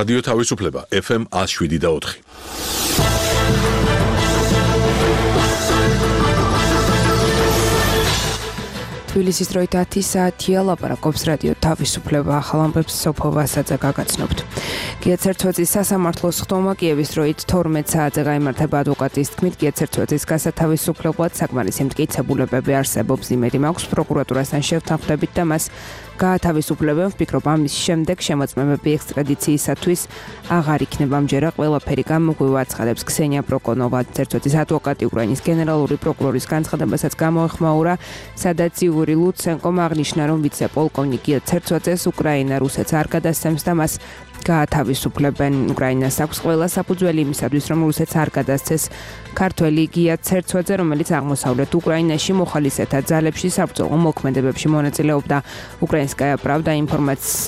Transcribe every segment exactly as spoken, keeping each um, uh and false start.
რადიო თავისუფლება ეფ ემ one oh seven და four. თბილისის დროით ათი საათია, ლაპარაკობს რადიო თავისუფლება, ახალ ამბებს სოფო ვასაძე გაგაცნობთ. გია ცერცვაძის სასამართლოს ხდომა კიევის დროით თორმეტ საათზე გაიმართება ადვოკატის თქმით, გია ცერცვაძის გასათავისუფლებლად საკმარისი მტკიცებულებები არსებობს, იმედი მაქვს პროკურატურასთან შევთანხმდებით და მას გაათავისუფლებენ. ვფიქრობ, ამის შემდეგ შემოწმებები ექსტრადიციისათვის აღარ იქნება ამჯერა, ყველაფერი გამოგვივა, აცხადებს ქსენია პროკონოვა. ცერცვაძის ადვოკატი უკრაინის გენერალური პროკურორის განცხადებასაც გამოეხმაურა, სადაც იური ლუცენკომ აღნიშნა, რომ ვიცე-პოლკოვნიკ გია ცერცვაძეს უკრაინა რუსეთს არ გადასცემს და მას გაათავისუფლებენ. უკრაინას აქვს ყველა საფუძველი იმისათვის, რომ რუსეთს არ გადასცეს ქართველი გია ცერცვაძე, რომელიც აღმოსავლეთ უკრაინაში მოხალისეთა ძალებში საბრძოლო მოქმედებებში მონაწილეობდა. უკრაინსკაია პრავდა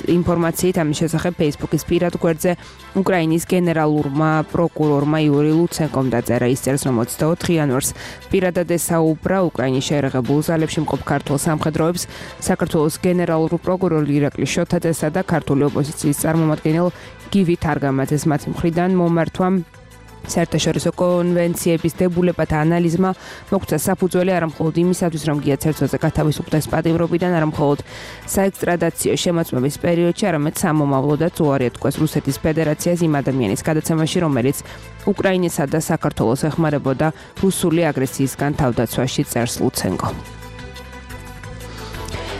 ინფორმაციით ამის შესახებ ფეისბუქის პირად გვერდზე უკრაინის გენერალურმა პროკურორმა იური ლუცენკომ დაწერა. ის წერს, რომ ოცდაოთხ იანვარს პირადად ესაუბრა უკრაინის შეერაღებულ ძალებში მყოფ ქართულ სამხედროებს, საქართველოს გენერალურ პროკურორ ირაკლი შოთაძესა და ქართული ოპოზიციის წარმომადგენელ გივი თარგამაძეს. მათი მხრიდან მომართვამ საერთაშორისო კონვენციების დებულებათა ანალიზმა მოგცა საფუძველი არამხოლოდ იმისათვის, რომ გია ცერცვაძე გათავისუფლდეს პატიმრობიდან, არამხოლოდ საექსტრადაციო შემოწმების პერიოდში, არამედ სამომავლოდაც უარი ეთქვეს რუსეთის ფედერაციას იმ ადამიანის გადაცემაში, რომელიც უკრაინისა და საქართველოს ეხმარებოდა რუსული აგრესიისგან თავდაცვაში, წერს ლუცენკო.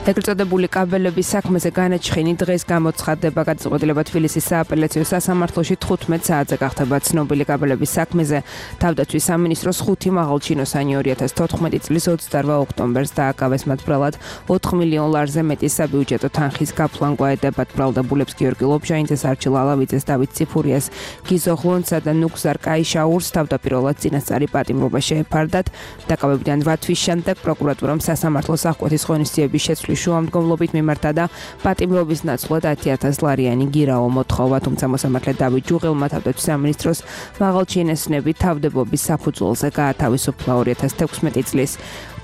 ეგრეთ წოდებული კაბელების საქმეზე განაჩხენი დღეს გამოცხადდება. გადაწყვეტილება თბილისის სააპელაციო სასამართლოში თხუთმეტ საათზე გახდება ცნობილი კაბელების საქმეზე. თავდაცვის სამინისტროს ხუთი მაღალჩინოსანი ორი ათას თოთხმეტი წლის ოცდაორ ოქტომბერს დააკავეს მათ ბრალად ოთხ მილიონ ლარზე მეტი საბიუჯეტო თანხის გაფლან გვაედებათ. ბრალდებულებს გიორგი ლობჟანიძეს, არჩილ ალავიძეს, დავით ციფურიას, გიზო ღლონცსა და ნუგზარ კაიშაურს თავდაპირველად წინასწარი პატიმრობა შეეფარდათ. დაკავებიდან რვა თვის შემდეგ პროკურატურამ სასამართლოს აღკვეთის ღონისძიების შეცვლის შუამდგომლობით მიმართა და პატიმრობის ნაცვლად ათი ათას ლარიანი გირაო მოთხოვა, თუმცა მოსამართლე დავით ჯუღელმა თავდაცვის სამინისტროს მაღალჩინოსნები თავდებობის საფუძველზე გაათავისუფლა. ორი ათას თექვსმეტი წლის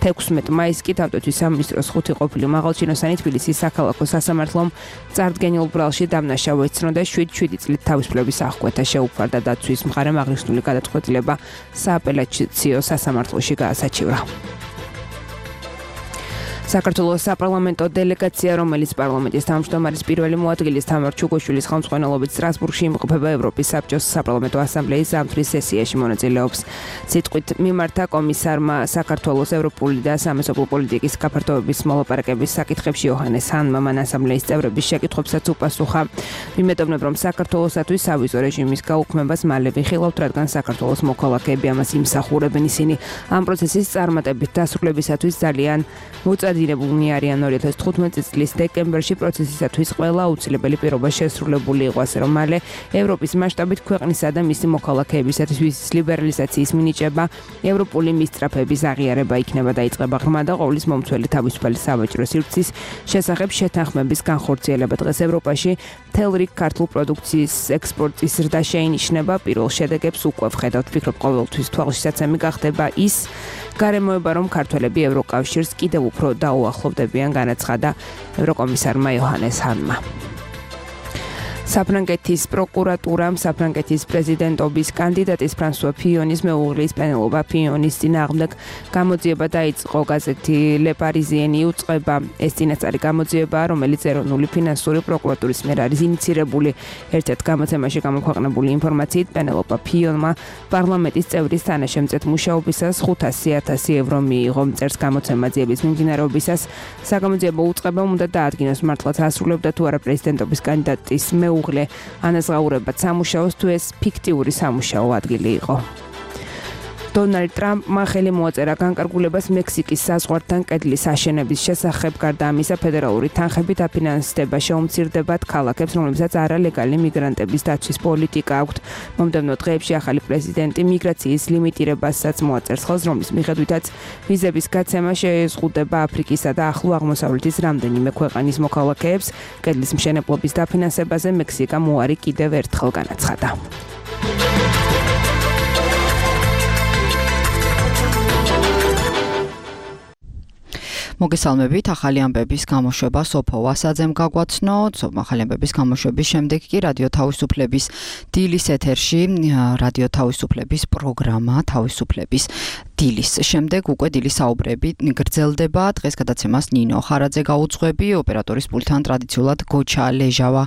თექვსმეტ მაისს კი თავდაცვის სამინისტროს ხუთი ყოფილი მაღალჩინოსანი თბილისის საქალაქო სასამართლომ წარდგენილ ბრალში დამნაშავე ეცნო და შვიდ შვიდი წლით თავისუფლების აღკვეთა შეუფარდა. დაცვის მხარემ აღნიშნული გადაწყვეტილება სააპელაციო სასამართლოში გაასაჩივრა. საქართველოს საპარლამენტო დელეგაცია, რომელიც პარლამენტის თავმჯდომარის პირველი მოადგილის თამარ ჩუგოშვილის ხელმძღვანელობით სტრასბურგში იმყოფება ევროპის საბჭოს საპარლამენტო ასამბლეის ზამთრის სესიაში მონაწილეობს. სიტყვით მიმართა კომისარმა საქართველოს ევროპული და სამეზობლო პოლიტიკის გაფართოების მოლაპარაკების საკითხებში იოჰანეს ჰანმა მან ასამბლეის წევრების შეკითხვებსაც უპასუხა. მიმედოვნებ, რომ საქართველოსათვის სავიზო რეჟიმის გაუქმებას მალე ვიხილავთ, რადგან საქართველოს მოქალაქეები ამას იმსახურებენ. ისინი ამ პროცესის წარმატებით დასრულებისათვის ძალიან მოწადი დინებულნი არიან. ორი ათას თხუთმეტი წლის დეკემბერში პროცესისათვის ყველა აუცილებელი პირობა შესრულებული იყო, ასე რომ მალე ევროპის მასშტაბით ქვეყნისა და მისი მოქალაქეებისათვის ვიზის ლიბერალიზაციის მინიჭება, ევროპული მისწრაფების აღიარება იქნება დაიწყება ღრმა და ყოვლის მომცველი თავისუფალი სავაჭრო სივრცის შესახებ შეთანხმების განხორციელება. დღეს ევროპაში მთელ რიგ ქართულ პროდუქციის ექსპორტის ზრდა შეინიშნება. პირველ შედეგებს უკვე ვხედავთ. ვფიქრობ, ყოველთვის თვალშისაცემი გახდება ის გარემოება, რომ ქართველები ევროკავშირს კიდევ უფრო დაუახლოვდებიან, განაცხადა ევროკომისარმა იოჰანეს ჰანმა. საფრანგეთის პროკურატურამ საფრანგეთის პრეზიდენტობის კანდიდატის ფრანსუა ფიონის მეუღლის პენელობა ფიონის წინააღმდეგ გამოძიება დაიწყო. გაზეთი Le Parisien იუწყება. ეს წინასწარი გამოძიება, რომელიც ეროვნული ფინანსური პროკურატურის მიერ არის ინიცირებული. ერთ-ერთ გამოცემაში გამოქვეყნებული ინფორმაციით, პენელობა ფიონმა პარლამენტის წევრის თანაშემწედ მუშაობისას ხუთასი ათასი ევრო მიიღო. წერს გამოცემა ძიების მიმდინარეობისას საგამოძიებო უწყება უნდა დაადგინოს მართლაც ასრულებდა თუ არა პრეზიდენტობის კანდიდატის მეუღლე ანაზღაურებად სამუშაოს, თუ ეს ფიქტიური სამუშაო ადგილი იყო. დონალდ ტრამპმა ხელი მოაწერა განკარგულებას მექსიკის საზღვართან კედლის აშენების შესახებ. გარდა ამისა, ფედერალური თანხებით აფინანსდება შეუმცირდებათ ქალაქებს, რომლებსაც არალეგალი მიგრანტების დაცვის პოლიტიკა აქვთ. მომდევნო დღეებში ახალი პრეზიდენტი მიგრაციის ლიმიტირებასაც მოაწერს ხელს, რომლის მიხედვითაც ვიზების გაცემა შეეზღუდება აფრიკისა და ახლო აღმოსავლეთის რამდენიმე ქვეყნის მოქალაქეებს. კედლის მშენებლობის დაფინანსებაზე მექსიკამ უარი კიდევ ერთხელ განაცხადა. მოგესალმებით, ახალი ამბების გამოშვება სოფო ვასაძემ გაგვაცნო. ახალი ამბების გამოშვების შემდეგ კი რადიო თავისუფლების დილის ეთერში რადიო თავისუფლების პროგრამა თავისუფლების დილის შემდეგ უკვე დილის საუბრები გრძელდება. დღეს გადაცემას ნინო ხარაძე გაუძღვები, ოპერატორის პულტთან ტრადიციულად გოჩა ლეჟავა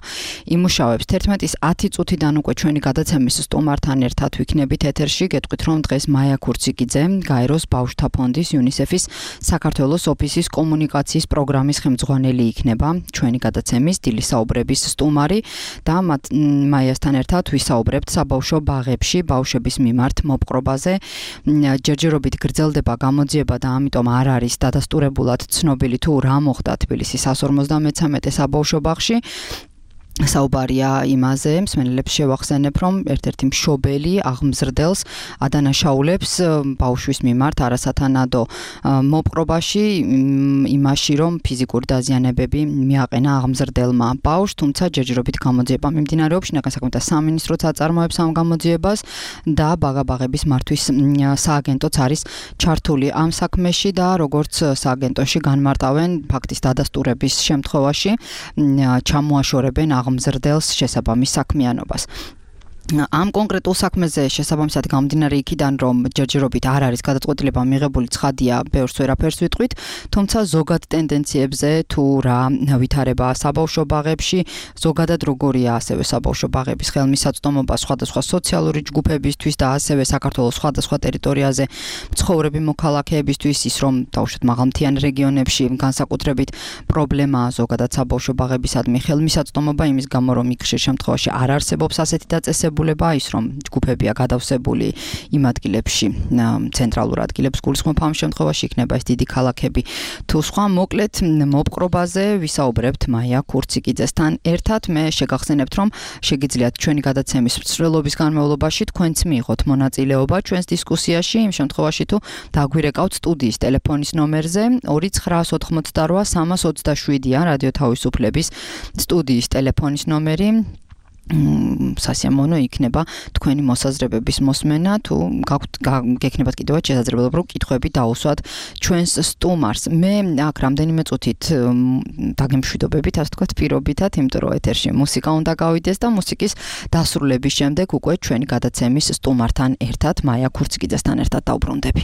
იმუშავებს. თერთმეტის ათი წუთიდან უკვე ჩვენი გადაცემის სტუმართან ერთად ვიქნებით ეთერში. გეტყვით, რომ დღეს მაია ქურციკიძე, გაეროს ბავშვთა ფონდის იუნისეფის საქართველოს ოფისის კომუნიკაციის პროგრამის ხელმძღვანელი იქნება ჩვენი გადაცემის დილის საუბრების სტუმარი და მაიასთან ერთად ვისაუბრებთ საბავშვო ბაღებში ბავშვების მიმართ მოპყრობაზე. ჯერჯერობით გრძელდება გამოძიება და ამიტომ არ არის დადასტურებულად ცნობილი თუ რა მოხდა თბილისის სამას ორმოცდამეცამეტე საბავშვო ბაღში. საუბარია იმაზე, მსმენელებს შევახსენებ, რომ ერთ-ერთი მშობელი აღმზრდელს ადანაშაულებს ბავშვის მიმართ არასათანადო მოპყრობაში იმაში, რომ ფიზიკური დაზიანებები მიაყენა აღმზრდელმა ბავშვს, თუმცა ჯერჯერობით გამოძიება მიმდინარეობს. შინაგან საქმეთა სამინისტროც აწარმოებს ამ გამოძიებას და ბაღაბაღების მართვის სააგენტოც არის ჩართული ამ საქმეში და როგორც სააგენტოში განმარტავენ, ფაქტის დადასტურების შემთხვევაში ჩამოაშორებენ აღმზრდელს შესაბამის საქმიანობას. ამ კონკრეტულ საქმეზე შესაბამისად გამომდინარე იქიდან, რომ ჯერჯერობით არ არის გადაწყვეტილება მიღებული, ცხადია, ბევრს ვერაფერს ვიტყვით, თუმცა ზოგად ტენდენციებზე თუ რა ვითარება საბავშვო ბაღებში, ზოგადად როგორია ასევე საბავშვო ბაღების ხელმისაწვდომობა სხვადასხვა სოციალური ჯგუფებისთვის და ასევე საქართველოს სხვადასხვა ტერიტორიაზე მცხოვრები მოქალაქეებისთვის, ის რომ დაუშვათ მაღალმთიან რეგიონებში განსაკუთრებით პრობლემაა ზოგადად საბავშვო ბაღებისადმი ხელმისაწვდომობა, იმის გამო რომ იქ ხშირ შემთხვევაში არ არსებობს ასეთი დაწესებულება, ის რომ ჯგუფებია გადავსებული იმ ადგილებში, ცენტრალურ ადგილებს გულისხმობ, ამ შემთხვევაში იქნება ეს დიდი ქალაქები თუ სხვა. მოკლედ მოპყრობაზე ვისაუბრებთ მაია ქურციკიძესთან ერთად. მე შეგახსენებთ, რომ შეგიძლიათ ჩვენი გადაცემის მსვლელობის განმავლობაში თქვენც მიიღოთ მონაწილეობა ჩვენს დისკუსიაში, იმ შემთხვევაში თუ დაგვირეკავთ სტუდიის ტელეფონის ნომერზე ორი ცხრაას ოთხმოცდარვა სამას ოცდაშვიდია რადიო თავისუფლების სტუდიის ტელეფონის ნომერი. სასიამოვნო იქნება თქვენი მოსაზრებების მოსმენა, თუ გექნებათ კიდევაც შესაძლებლობა რომ კითხვები დაუსვათ ჩვენს სტუმარს. მე აქ რამდენიმე წუთით დაგემშვიდობებით, ასე ვთქვათ, პირობითად, იმიტომ რომ ეთერში მუსიკა უნდა გავიდეს და მუსიკის დასრულების შემდეგ უკვე ჩვენი გადაცემის სტუმართან ერთად, მაია ქურციკიძესთან ერთად დავბრუნდები.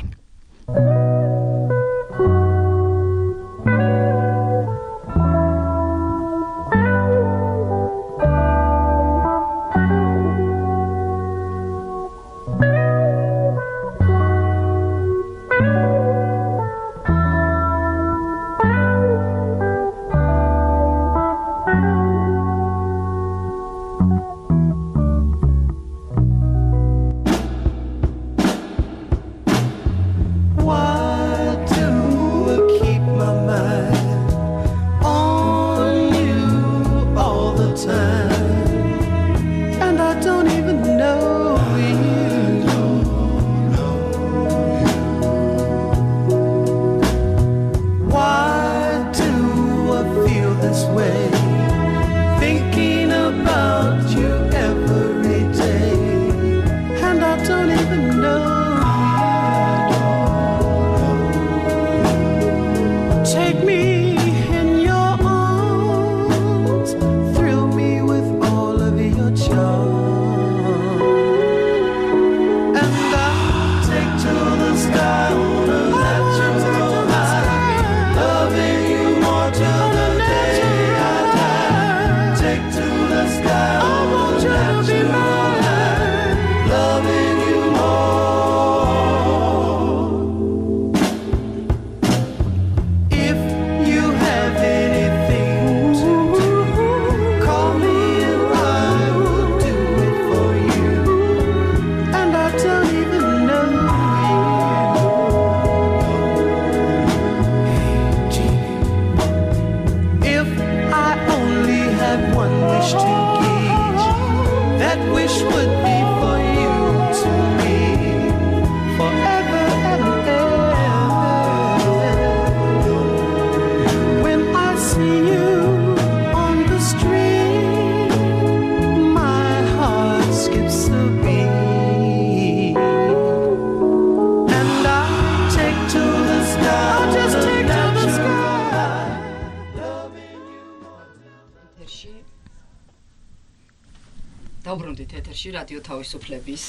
დავბრუნდით ეთერში რადიო თავისუფლების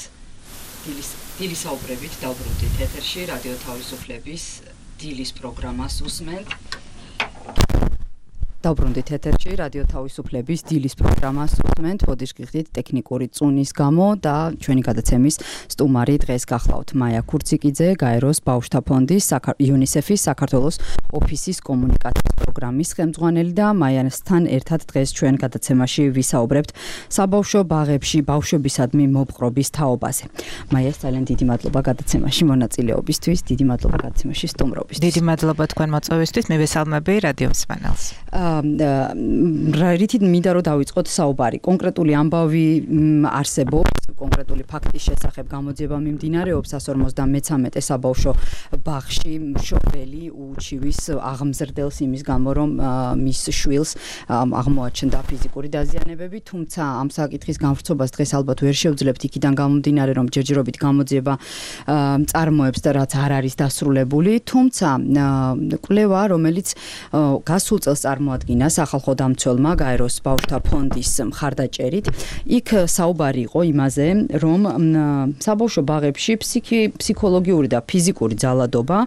დილის დილის საუბრებით დავბრუნდით ეთერში რადიო თავისუფლების დილის პროგრამას უსმენთ დავბრუნდით ეთერში რადიო თავისუფლების დილის პროგრამას უსმენთ ბოდიშ გიხდით ტექნიკური წუნის გამო და ჩვენი გადაცემის სტუმარი დღეს გახლავთ მაია ქურციკიძე გაეროს ბავშვთა ფონდის იუნისეფის საქართველოს ოფისის კომუნიკაციის პროგრამის ხელმძღვანელი და მაიასთან ერთად დღეს ჩვენ გადაცემაში ვისაუბრებთ საბავშვო ბაღებში ბავშვებისადმი მოპყრობის თაობაზე. მაიას ძალიან დიდი მადლობა გადაცემაში მონაწილეობისთვის, დიდი მადლობა გადაცემაში სტუმრობისთვის. დიდი მადლობა თქვენ მოწვევისთვის, მივესალმები რადიო მსმენელს. რითი მინდა რომ დავიწყოთ საუბარი. კონკრეტული ამბავი არსებობს, კონკრეტული ფაქტის შესახებ გამოძიება მიმდინარეობს one forty-three საბავშვო ბაღში მშობელი უჩივის აღმზრდელს იმის გამო რომ მის შვილს აღმოაჩნდა ფიზიკური დაზიანებები, თუმცა ამ საკითხის განვრცობას დღეს ალბათ ვერ შევძლებთ იქიდან გამომდინარე რომ ჯერჯერობით გამოძიება წარმოებს და რაც არ არის დასრულებული, თუმცა კვლევა რომელიც გასულ წელს წარმოადგინა სახალხო დამცველმა გაეროს ბავშვთა ფონდის მხარდაჭერით, იქ საუბარი იყო იმაზე რომ საბავშვო ბაღებში ფსიქოლოგიური და ფიზიკური ძალადობა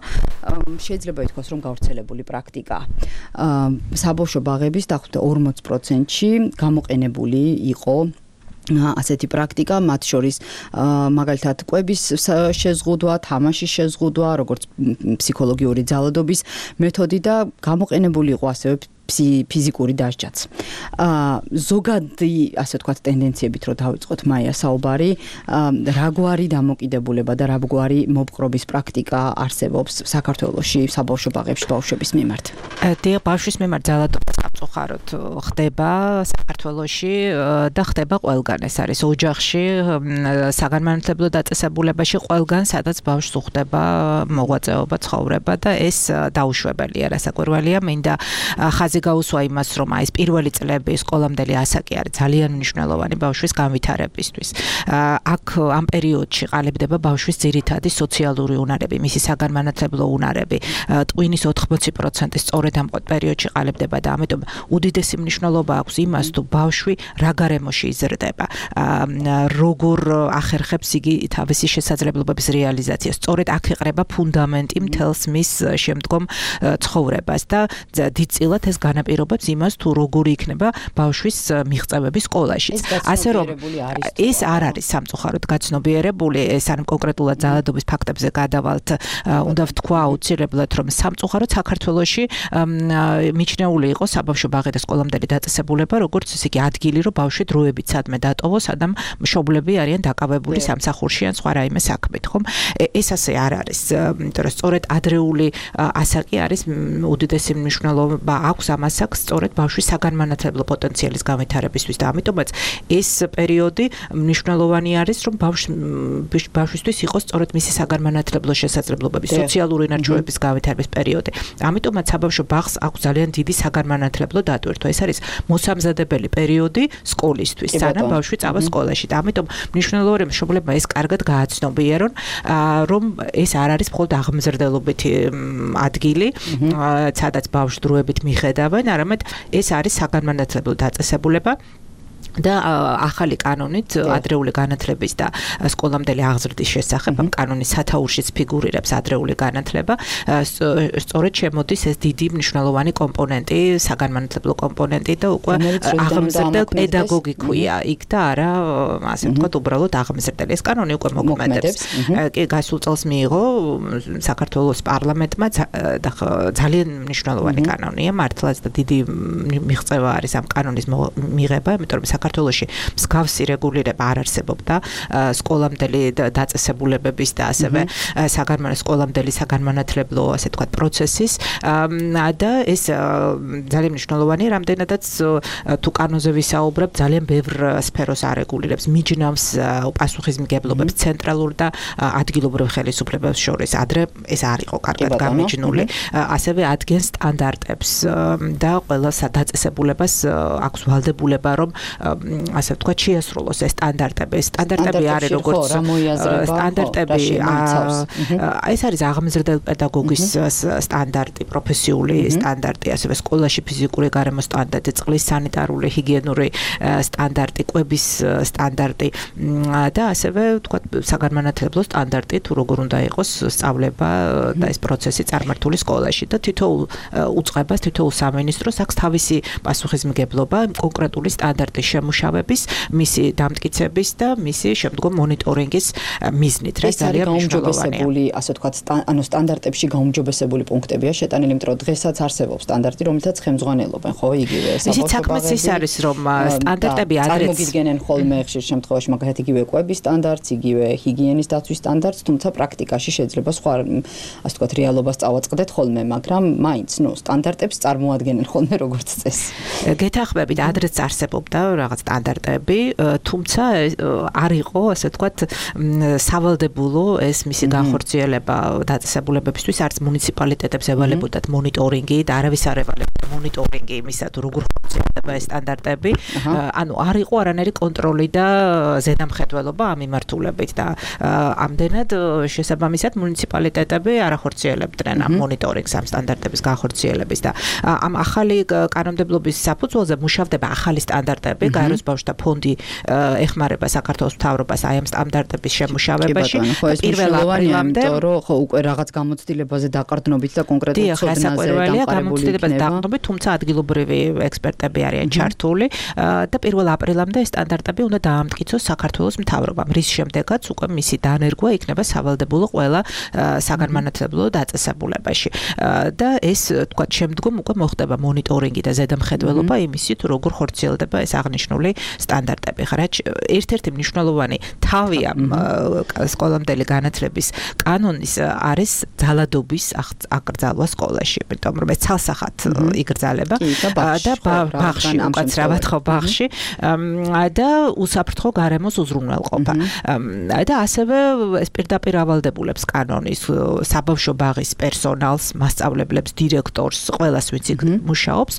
შეიძლება ითქვას რომ გავრცელებული პრაქტიკაა. საბავშვო ბაღების დაახლოებით forty პროცენტში გამოყენებული იყო ასეთი პრაქტიკა, მათ შორის მაგალითად კვების შეზღუდვა, თამაშის შეზღუდვა, როგორც ფსიქოლოგიური ძალადობის მეთოდი და გამოყენებული იყო ასევე ფიზიკური დასჯაც. ზოგადი, ასე ვთქვათ, ტენდენციებით რო დავიწყოთ მაია საუბარი, რაგვარი დამოკიდებულება და რაგვარი მოპყრობის პრაქტიკა არსებობს საქართველოში საბავშვო ბაღებში ბავშვების მიმართ. დიახ, ბავშვის მიმართ ძალადობა სამწუხაროდ ხდება საქართველოში და ხდება ყველგან. ეს არის ოჯახში, საგანმანათლებლო დაწესებულებაში ყველგან, სადაც ბავშვს უხდება მოღვაწეობა, ცხოვრება და ეს დაუშვებელია, რასაკვირველია, მინდა ხაზი გაუსვა იმას, რომ ეს პირველი წლები სკოლამდელი ასაკი არის ძალიან მნიშვნელოვანი ბავშვის განვითარებისთვის. აქ ამ პერიოდში ყალიბდება ბავშვის ძირითადი სოციალური უნარები, მისი საგანმანათლებლო უნარები. ტვინის ოთხმოცი პროცენტი სწორედ ამ პერიოდში ყალიბდება და ამიტომ უდიდესი მნიშვნელობა აქვს იმას, თუ ბავშვი რა გარემოში იზრდება, როგორ ახერხებს იგი თავისი შესაძლებლობების რეალიზაციას. სწორედ აქ იყრება ფუნდამენტი მთელს მის შემდგომ ცხოვრებას და დიდწილად ეს განაპირობებს იმას, თუ როგორი იქნება ბავშვის მიღწევები სკოლაში. ასე რომ ეს არ არის სამწუხაროდ გაცნობიერებული, ეს არ კონკრეტულად ძალადობის ფაქტებზე გადავალთ, უნდა ვთქვა აუცილებლად, რომ სამწუხაროდ საქართველოში მიჩნეული იყო საბავშვო ბაღი და სკოლამდელი დაწესებულება, როგორც ისე იგი ადგილი, რომ ბავშვი დროებით სადმე დატოვოს, სადამ მშობლები არიან დაკავებული სამსახურში ან სხვა რაიმე საქმით, ხომ? ეს ასე არ არის, იმიტომ რომ სწორედ ადრეული ასაკი არის უდიდესი მნიშვნელობა აქვს ამ ასაკს სწორედ ბავშვის საგანმანათლებლო პოტენციალის განვითარებისთვის და ამიტომაც ეს პერიოდი მნიშვნელოვანი არის, რომ ბავშვისთვის იყოს სწორედ მისი საგანმანათლებლო შესაძლებლობების, სოციალური ინარჩუნების განვითარების პერიოდი. ამიტომაც საბავშვო ბაღს აქვს ძალიან დიდი საგანმანათლებლო დატვირთვა. ეს არის მოსამზადებელი პერიოდი სკოლისთვის, სანამ ბავშვი წავა სკოლაში და ამიტომ მნიშვნელოვანია, რომ მშობლებმა ეს კარგად გააცნობიერონ, რომ ეს არ არის მხოლოდ აღმზრდელობითი ადგილი, სადაც ბავშვს დროებით მიხედავენ, არამედ ეს არის საგანმანათლებლო დაწესებულება და ახალი კანონით ადრეული განათლების და სკოლამდელი აღზრდის შესახებ ამ კანონის სათაურშიც ფიგურირებს ადრეული განათლება, სწორედ შემოდის ეს დიდი მნიშვნელოვანი კომპონენტი, საგანმანათლებლო კომპონენტი და უკვე აღმზრდელ პედაგოგი ქვია იქ და არა, ასე ვთქვათ, უბრალოდ აღმზრდელი. ეს კანონი უკვე მოქმედებს. კი, გასულ წელს მიიღო საქართველოს პარლამენტმა და ძალიან მნიშვნელოვანი კანონია, მართლაც და დიდი მიღწევა არის ამ კანონის მიღება, იმიტომ რომ საქართველოში მსგავსი რეგულირება არ არსებობდა სკოლამდელი დაწესებულებების და ასევე საგანმანათლებლო საგანმანათლებლო ასე ვთქვათ პროცესის და ეს ძალიან მნიშვნელოვანია, რამდენადაც თუ კანონზე ვისაუბრებ, ძალიან ბევრ სფეროს არეგულირებს, მიჯნავს პასუხისმგებლობებს ცენტრალურ და ადგილობრივ ხელისუფლებებს შორის. ადრე ეს არ იყო კარგად გამიჯნული, ასევე ადგენს სტანდარტებს და ყველა დაწესებულებას აქვს ვალდებულება, რომ ასე ვთქვათ, შეასრულოს ეს სტანდარტები. სტანდარტები არის როგორც სტანდარტები, ეს არის აღმზრდელ პედაგოგის სტანდარტი, პროფესიული სტანდარტი, ასევე სკოლაში ფიზიკური გარემოს სტანდარტი, წყლის სანიტარული, ჰიგიენური სტანდარტი, კვების სტანდარტი და ასევე ვთქვათ, საგანმანათლებლო სტანდარტი, თუ როგორ უნდა იყოს სწავლება და ეს პროცესი წარმართული სკოლაში და თითოეულ უწყებას, თითოეულ სამინისტროს აქვს თავისი პასუხისმგებლობა კონკრეტული სტანდარტის შემუშავების, მისი დამტკიცების და მისი შემდგომ მონიტორინგის მიზნით, რა ძალიან მნიშვნელოვანია. ასე ვთქვათ, ანუ სტანდარტებში გაუმჯობესებული პუნქტებია შეტანილი, იმიტომ რომ დღესაც არსებობს სტანდარტი, რომელთაც ხელმძღვანელობენ, ხო, იგივე საბავშვო საქმეც ის არის, რომ სტანდარტები ადრეც წარმოგიდგენენ ხოლმე ხშირ შემთხვევაში მაგალითად იგივე კვების სტანდარტს, იგივე ჰიგიენის დაცვის სტანდარტს, თუმცა პრაქტიკაში შეიძლება სხვა ასე ვთქვათ რეალობას წავაწყდეთ ხოლმე, მაგრამ მაინც ნუ სტანდარტებს წარმოადგენენ ხოლმე როგორც წესი. გეთახმებით, ადრეც არსებობდა რაღაც სტანდარტები, თუმცა არ იყო ასე ვთქვათ სავალდებულო ეს მისი განხორციელება დაწესებულებებისთვის, არც მუნიციპალიტეტებს ევალებოდათ მონიტორინგი და არავის არ ევალებოდა მონიტორინგი იმისა, თუ როგორ ხორციელდება ეს სტანდარტები. ანუ არ იყო არანაირი კონტროლი და ზედამხედველობა ამ მიმართულებით და ამდენად შესაბამისად მუნიციპალიტეტები არ ახორციელებდნენ ამ მონიტორინგს, ამ სტანდარტების განხორციელების და ამ ახალი კანონმდებლობის საფუძველზე მუშავდება ახალი სტანდარტები, გაეროს ბავშვთა ფონდი ეხმარება საქართველოს მთავრობას აი ამ სტანდარტების შემუშავებაში. პირველ აპრილამდე, იმიტომ რომ ხო უკვე რაღაც გამოცდილებაზე დაყრდნობით და კონკრეტულ ცოდნაზე დამყარებული იქნება, თუმცა ადგილობრივი ექსპერტები არიან ჩართული და პირველ აპრილამდე ეს სტანდარტები უნდა დაამტკიცოს საქართველოს მთავრობამ, რის შემდეგაც უკვე მისი დანერგვა იქნება სავალდებულო ყველა საგანმანათლებლო დაწესებულებაში. და ეს თქვა შემდგომ უკვე მოხდება მონიტორინგი და ზედამხედველობა იმისი, თუ როგორ ხორციელდება ეს აღნიშნული სტანდარტები. ხარა ერთ-ერთი მნიშვნელოვანი თავი ამ სკოლამდელი განათლების კანონის არის ძალადობის აკრძალვა სკოლაში, იმიტომ რომ ეს ცალსახად იგრძალება და ბაღში, უკაცრავად ხო ბაღში და უსაფრთხო გარემოს უზრუნველყოფა. და ასევე ეს პირდაპირ ავალდებულებს კანონის საბავშვო ბაღის პერსონალს, მასწავლებლებს, დირექტორს, ყველას ვინც მუშაობს,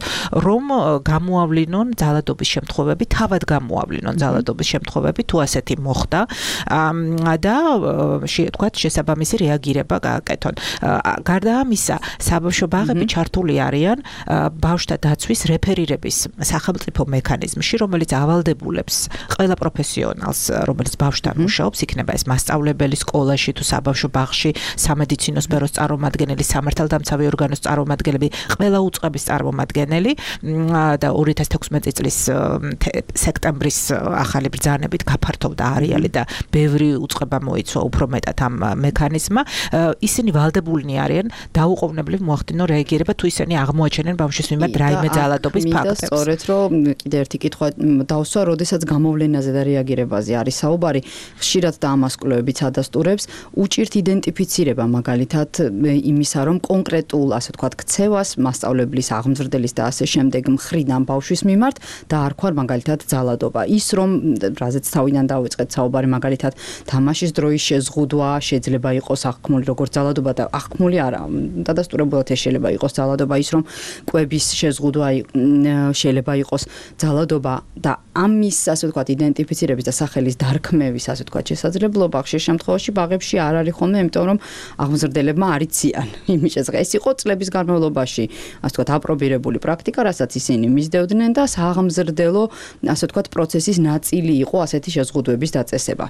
რომ გამოავლინონ ძალადობის შემთხვევები, თავად გამოავლინონ ძალადობის შემთხვევები, თუ ასეთი მოხდა და თქვათ შესაბამისი რეაგირება გააკეთონ. გარდა ამისა, საბავშვო ბაღები ჩართული არიან ბავშვთა დაცვის რეფერირების სახელმწიფო მექანიზმში, რომელიც ავალდებულებს ყველა პროფესიონალს, რომელიც ბავშვთან მუშაობს, იქნება ეს მასწავლებელი სკოლაში თუ საბავშვო ბაღში, სამედიცინო სფეროს წარმომადგენელი, სამართალდამცავი ორგანოს წარმომადგენელი, ყველა უწყების წარმომადგენელი და ორი ათას თექვსმეტი წლის სექტემბრის ახალი ბრძანებით გაფართოვდა არეალი და ბევრი უწყება მოიცვა უფრო მეტად ამ მექანიზმმა. ისინი ვალდებულნი არიან დაუყოვნებლივ მოახდინონ რეაგირება, თუ ისინი აღმოაჩენენ ბავშვის მიმართ რაიმე ძალადობის ფაქტებს. და სწორედ რომ კიდე ერთი კითხვა დავსვა, როდესაც გამოვლენაზე და რეაგირებაზე არის საუბარი, ხშირად და ამას კვლევებიც ადასტურებს, უჭირთ იდენტიფიცირება მაგალითად იმისა, რომ კონკრეტულ, ასე ვთქვათ, ქცევას, მასწავლებლის, აღმზრდელის და ასე შემდეგ მხრიდან ბავშვის მიმართ დაარქვა მაგალითად ძალადობა. ის რომ რაზეც თავიდან დავიწყეთ საუბარი, მაგალითად თამაშის დროის შეზღუდვა შეიძლება იყოს აღქმული როგორც ძალადობა და აღქმული არა, დადასტურებულად ეს შეიძლება იყოს ძალადობა, ის რომ კვების შეზღუდვა შეიძლება იყოს ძალადობა და ამის, ასე ვთქვათ, იდენტიფიცირების და სახელის დარქმევის, ასე ვთქვათ, შესაძლებლობა ხშირ შემთხვევაში ბაღებში არ არის ხოლმე, იმიტომ რომ აღმზრდელებმა არ იციან იმის შესახებ. ეს იყო წლების განმავლობაში, ასე ვთქვათ, აპრობირებული პრაქტიკა, რასაც ისინი მისდევდნენ და სააღმზრდელო, ასე ვთქვათ, პროცესის ნაწილი იყო ასეთი შეზღუდვების დაწესება.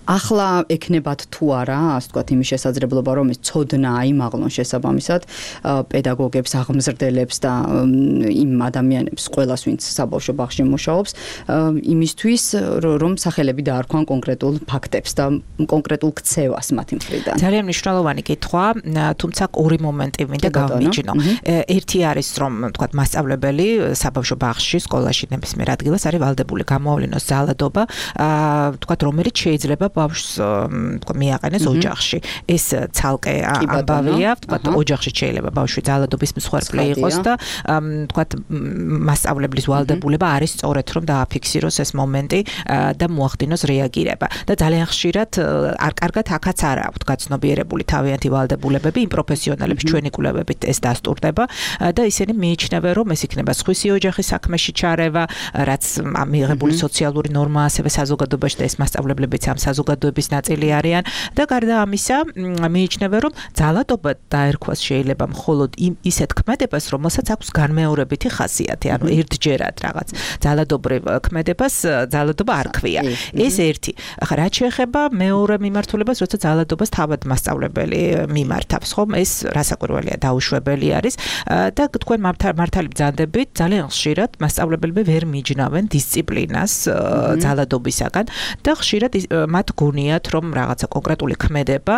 ახლა ეკნებათ თუ არა, ასე ვთქვათ, იმის შესაძლებლობა, რომ ეს ცოდნა აიმაღლონ შესაბამისად პედაგოგებს, აღმზრდელებს და იმ ადამიანებს, ყველას, ვინც საბავშვო ბაღში მუშაობს, იმისთვის, რომ სახელები დაარქვან კონკრეტულ ფაქტებს და კონკრეტულ ქცევას მათი მხრიდან. ძალიან მნიშვნელოვანი კითხვა, თუმცა ორი მომენტი მინდა გავმიჯნო. ერთი არის, რომ ვთქვათ, მასწავლებელი საბავშვო ბაღში, სკოლაში ნებისმიერ ადგილას არის ვალდებული გამოავლინოს ძალადობა, ვთქვათ, რომელიც შეიძლება შეიძლება ბავშვს თქვა მიაყენეს ოჯახში. ეს ცალკე ამბავია, თქვა ოჯახში შეიძლება ბავშვი ძალადობის მსხვერპლი იყოს და თქვა მასწავლებლის ვალდებულება არის სწორედ რომ დააფიქსიროს ეს მომენტი და მოახდინოს რეაგირება. და ძალიან ხშირად არ კარგად აქაც არ აქვთ გაცნობიერებული თავიანთი ვალდებულებები, იმ პროფესიონალებს ჩვენი კვლევებით ეს დასტურდება და ისინი მიიჩნევენ რომ ეს იქნება სხვისი ოჯახის საქმეში ჩარევა, რაც მიღებული სოციალური ნორმა ასევე საზოგადოებაში და ეს მასწავლებლებიც ამ საზოგადოების ნაწილი არიან და გარდა ამისა მიიჩნევენ რომ ძალადობა დაერქვას შეიძლება მხოლოდ იმ ისეთ ქმედებას, რომელსაც აქვს განმეორებითი ხასიათი, ანუ ერთჯერად რაღაც ძალადობრივ ქმედებას ძალადობა არ ქვია. ეს ერთი. ახლა რაც შეეხება მეორე მიმართულებას, როცა ძალადობას თავად მასწავლებელი მიმართავს, ხომ? ეს რასაკვირველია, დაუშვებელი არის და თქვენ მართალი ბრძანდებით ძალიან ხშირად მასწავლებელები ვერ მიჯნავენ დისციპლინას ძალადობისაგან და ხშირად მათ გონიათ რომ რაღაცა კონკრეტული ქმედება,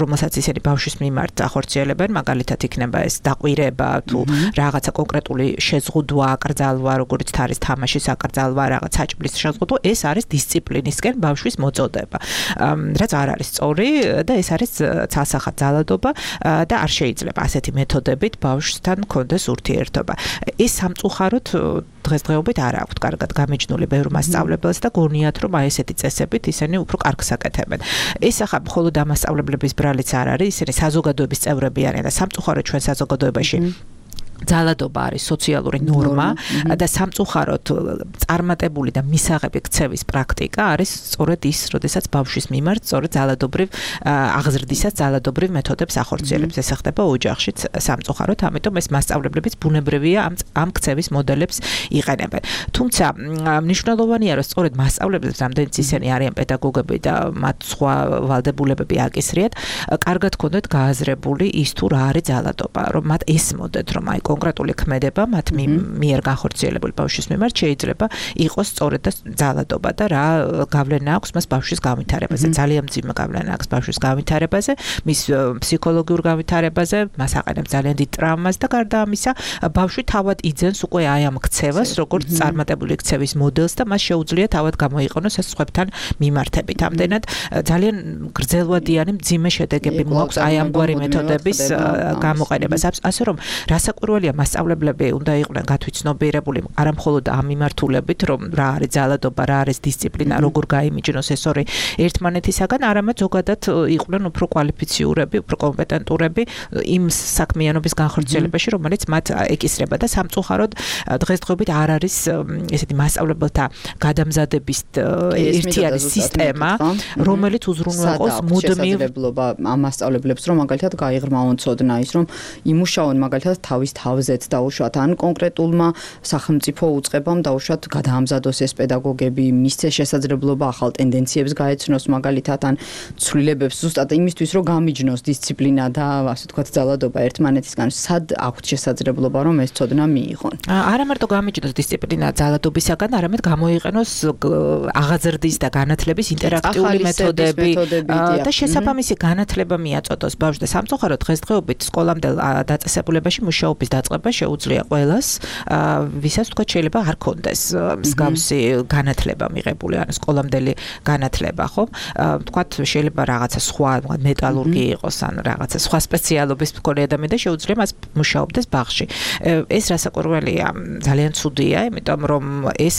რომელსაც ისინი ბავშვის მიმართ ახორციელებენ, მაგალითად იქნება ეს დაყვირება თუ რაღაცა კონკრეტული შეზღუდვა, აკრძალვა, როგორც არის თამაშის აკრძალვა, რაღაც საჭმლის შეზღუდვა, ეს არის დისციპლინისკენ ბავშვის მოწოდება. რაც არ არის სწორი და ეს არის ცალსახად ძალადობა და არ შეიძლება ასეთი მეთოდებით ბავშვთან კონდეს ურთიერთობა. ეს სამწუხაროდ დღესდღეობით არ აქვთ კარგად გამიჯნული ბევრ მასწავლებელს და გონიათ რომ აი ესეთი წესებით ისინი უფრო კარგს აკეთებენ. ეს ახლა მხოლოდ ამასწავლებლების ბრალიც არ არის, ისინი საზოგადოების წევრები არიან და სამწუხაროდ ჩვენ საზოგადოებაში ძალადობა არის სოციალური ნორმა და სამწუხაროდ წარმატებული და მისაღები ქცევის პრაქტიკა არის სწორედ ის, როდესაც ბავშვის მიმართ სწორედ ძალადობრივ აღზრდისას ძალადობრივ მეთოდებს ახორციელებს. ეს ხდება ოჯახშიც სამწუხაროდ, ამიტომ ეს მასწავლებლებიც ბუნებრივია ამ ამ ქცევის მოდელებს იყენებენ. თუმცა მნიშვნელოვანია, რომ სწორედ მასწავლებლებს, რამდენიც ისინი არიან პედაგოგები და მათ სხვა ვალდებულებები აკისრიათ, კარგად ქონდეთ გააზრებული ის თუ რა არის ძალადობა, რომ მათ ესმოდეთ, რომ აი კონკრეტული ქმედება მათ მიერ განხორციელებული ბავშვის მიმართ შეიძლება იყოს სწორედ და ძალადობა და რა გავლენა აქვს მას ბავშვის განვითარებაზე. ძალიან მძიმე გავლენა აქვს ბავშვის განვითარებაზე, მის ფსიქოლოგიურ განვითარებაზე, მას აყენებს ძალიან დიდ ტრაუმას და გარდა ამისა, ბავშვი თავად იძენს უკვე აი ამ ქცევას, როგორც წარმატებული ქცევის მოდელს და მას შეუძლია თავად გამოიყენოს ეს სხვებთან მიმართებით. ამდენად ძალიან გრძელვადიანი მძიმე შედეგები მოაქვს აი ამგვარი მეთოდების გამოყენებას. ასე რომ რასაკვირველია მასწავლებლები უნდა იყვნენ გათვითცნობიერებული არა მხოლოდ ამ მიმართულებით, რომ რა არის ძალადობა, რა არის დისციპლინა, როგორ გაიმიჯნოს ეს ორი ერთმანეთისაგან, არამედ ზოგადად იყვნენ უფრო კვალიფიციურები, უფრო კომპეტენტურები იმ საქმიანობის განხორციელებაში, რომელიც მათ ეკისრება და სამწუხაროდ დღესდღეობით არ არის ესეთი მასწავლებელთა გადამზადების ერთიანი სისტემა, რომელიც უზრუნველყოს მუდმივ ამ მასწავლებლებს, რომ მაგალითად გაიღრმავონ ცოდნა ის, რომ იმუშაონ მაგალითად თავის თავზეც დაუშვათ ან კონკრეტულმა სახელმწიფო უწყებამ დაუშვათ გადაამზადოს ეს პედაგოგები, მისცეს შესაძლებლობა ახალ ტენდენციებს გაეცნოს მაგალითად ან ცვლილებებს ზუსტად იმისთვის რომ გამიჯნოს დისციპლინა და ასე ვთქვათ ძალადობა ერთმანეთისგან, სად აქვთ შესაძლებლობა რომ ეს ცოდნა მიიღონ? არა მარტო გამიჯნოს დისციპლინა ძალადობისაგან, არამედ გამოიყენოს აღაზრდის და განათლების ინტერაქტიული მეთოდები და შესაბამისი განათლება მიაწოდოს ბავშვს და სამწუხაროდ დღესდღეობით სკოლამდელ დაწესებულებაში მუშაობის დაწყება შეუძლია ყველას, ვისაც თქვა შეიძლება არ კონდეს მსგავსი განათლება მიღებული, ან სკოლამდელი განათლება, ხო? თქვათ შეიძლება რაღაცა სხვა მეტალურგი იყოს, ან რაღაცა სხვა სპეციალობის მქონე ადამიანი და შეუძლია მას მუშაობდეს ბაღში. ეს რასაკვირველია, ძალიან ცუდია, იმიტომ რომ ეს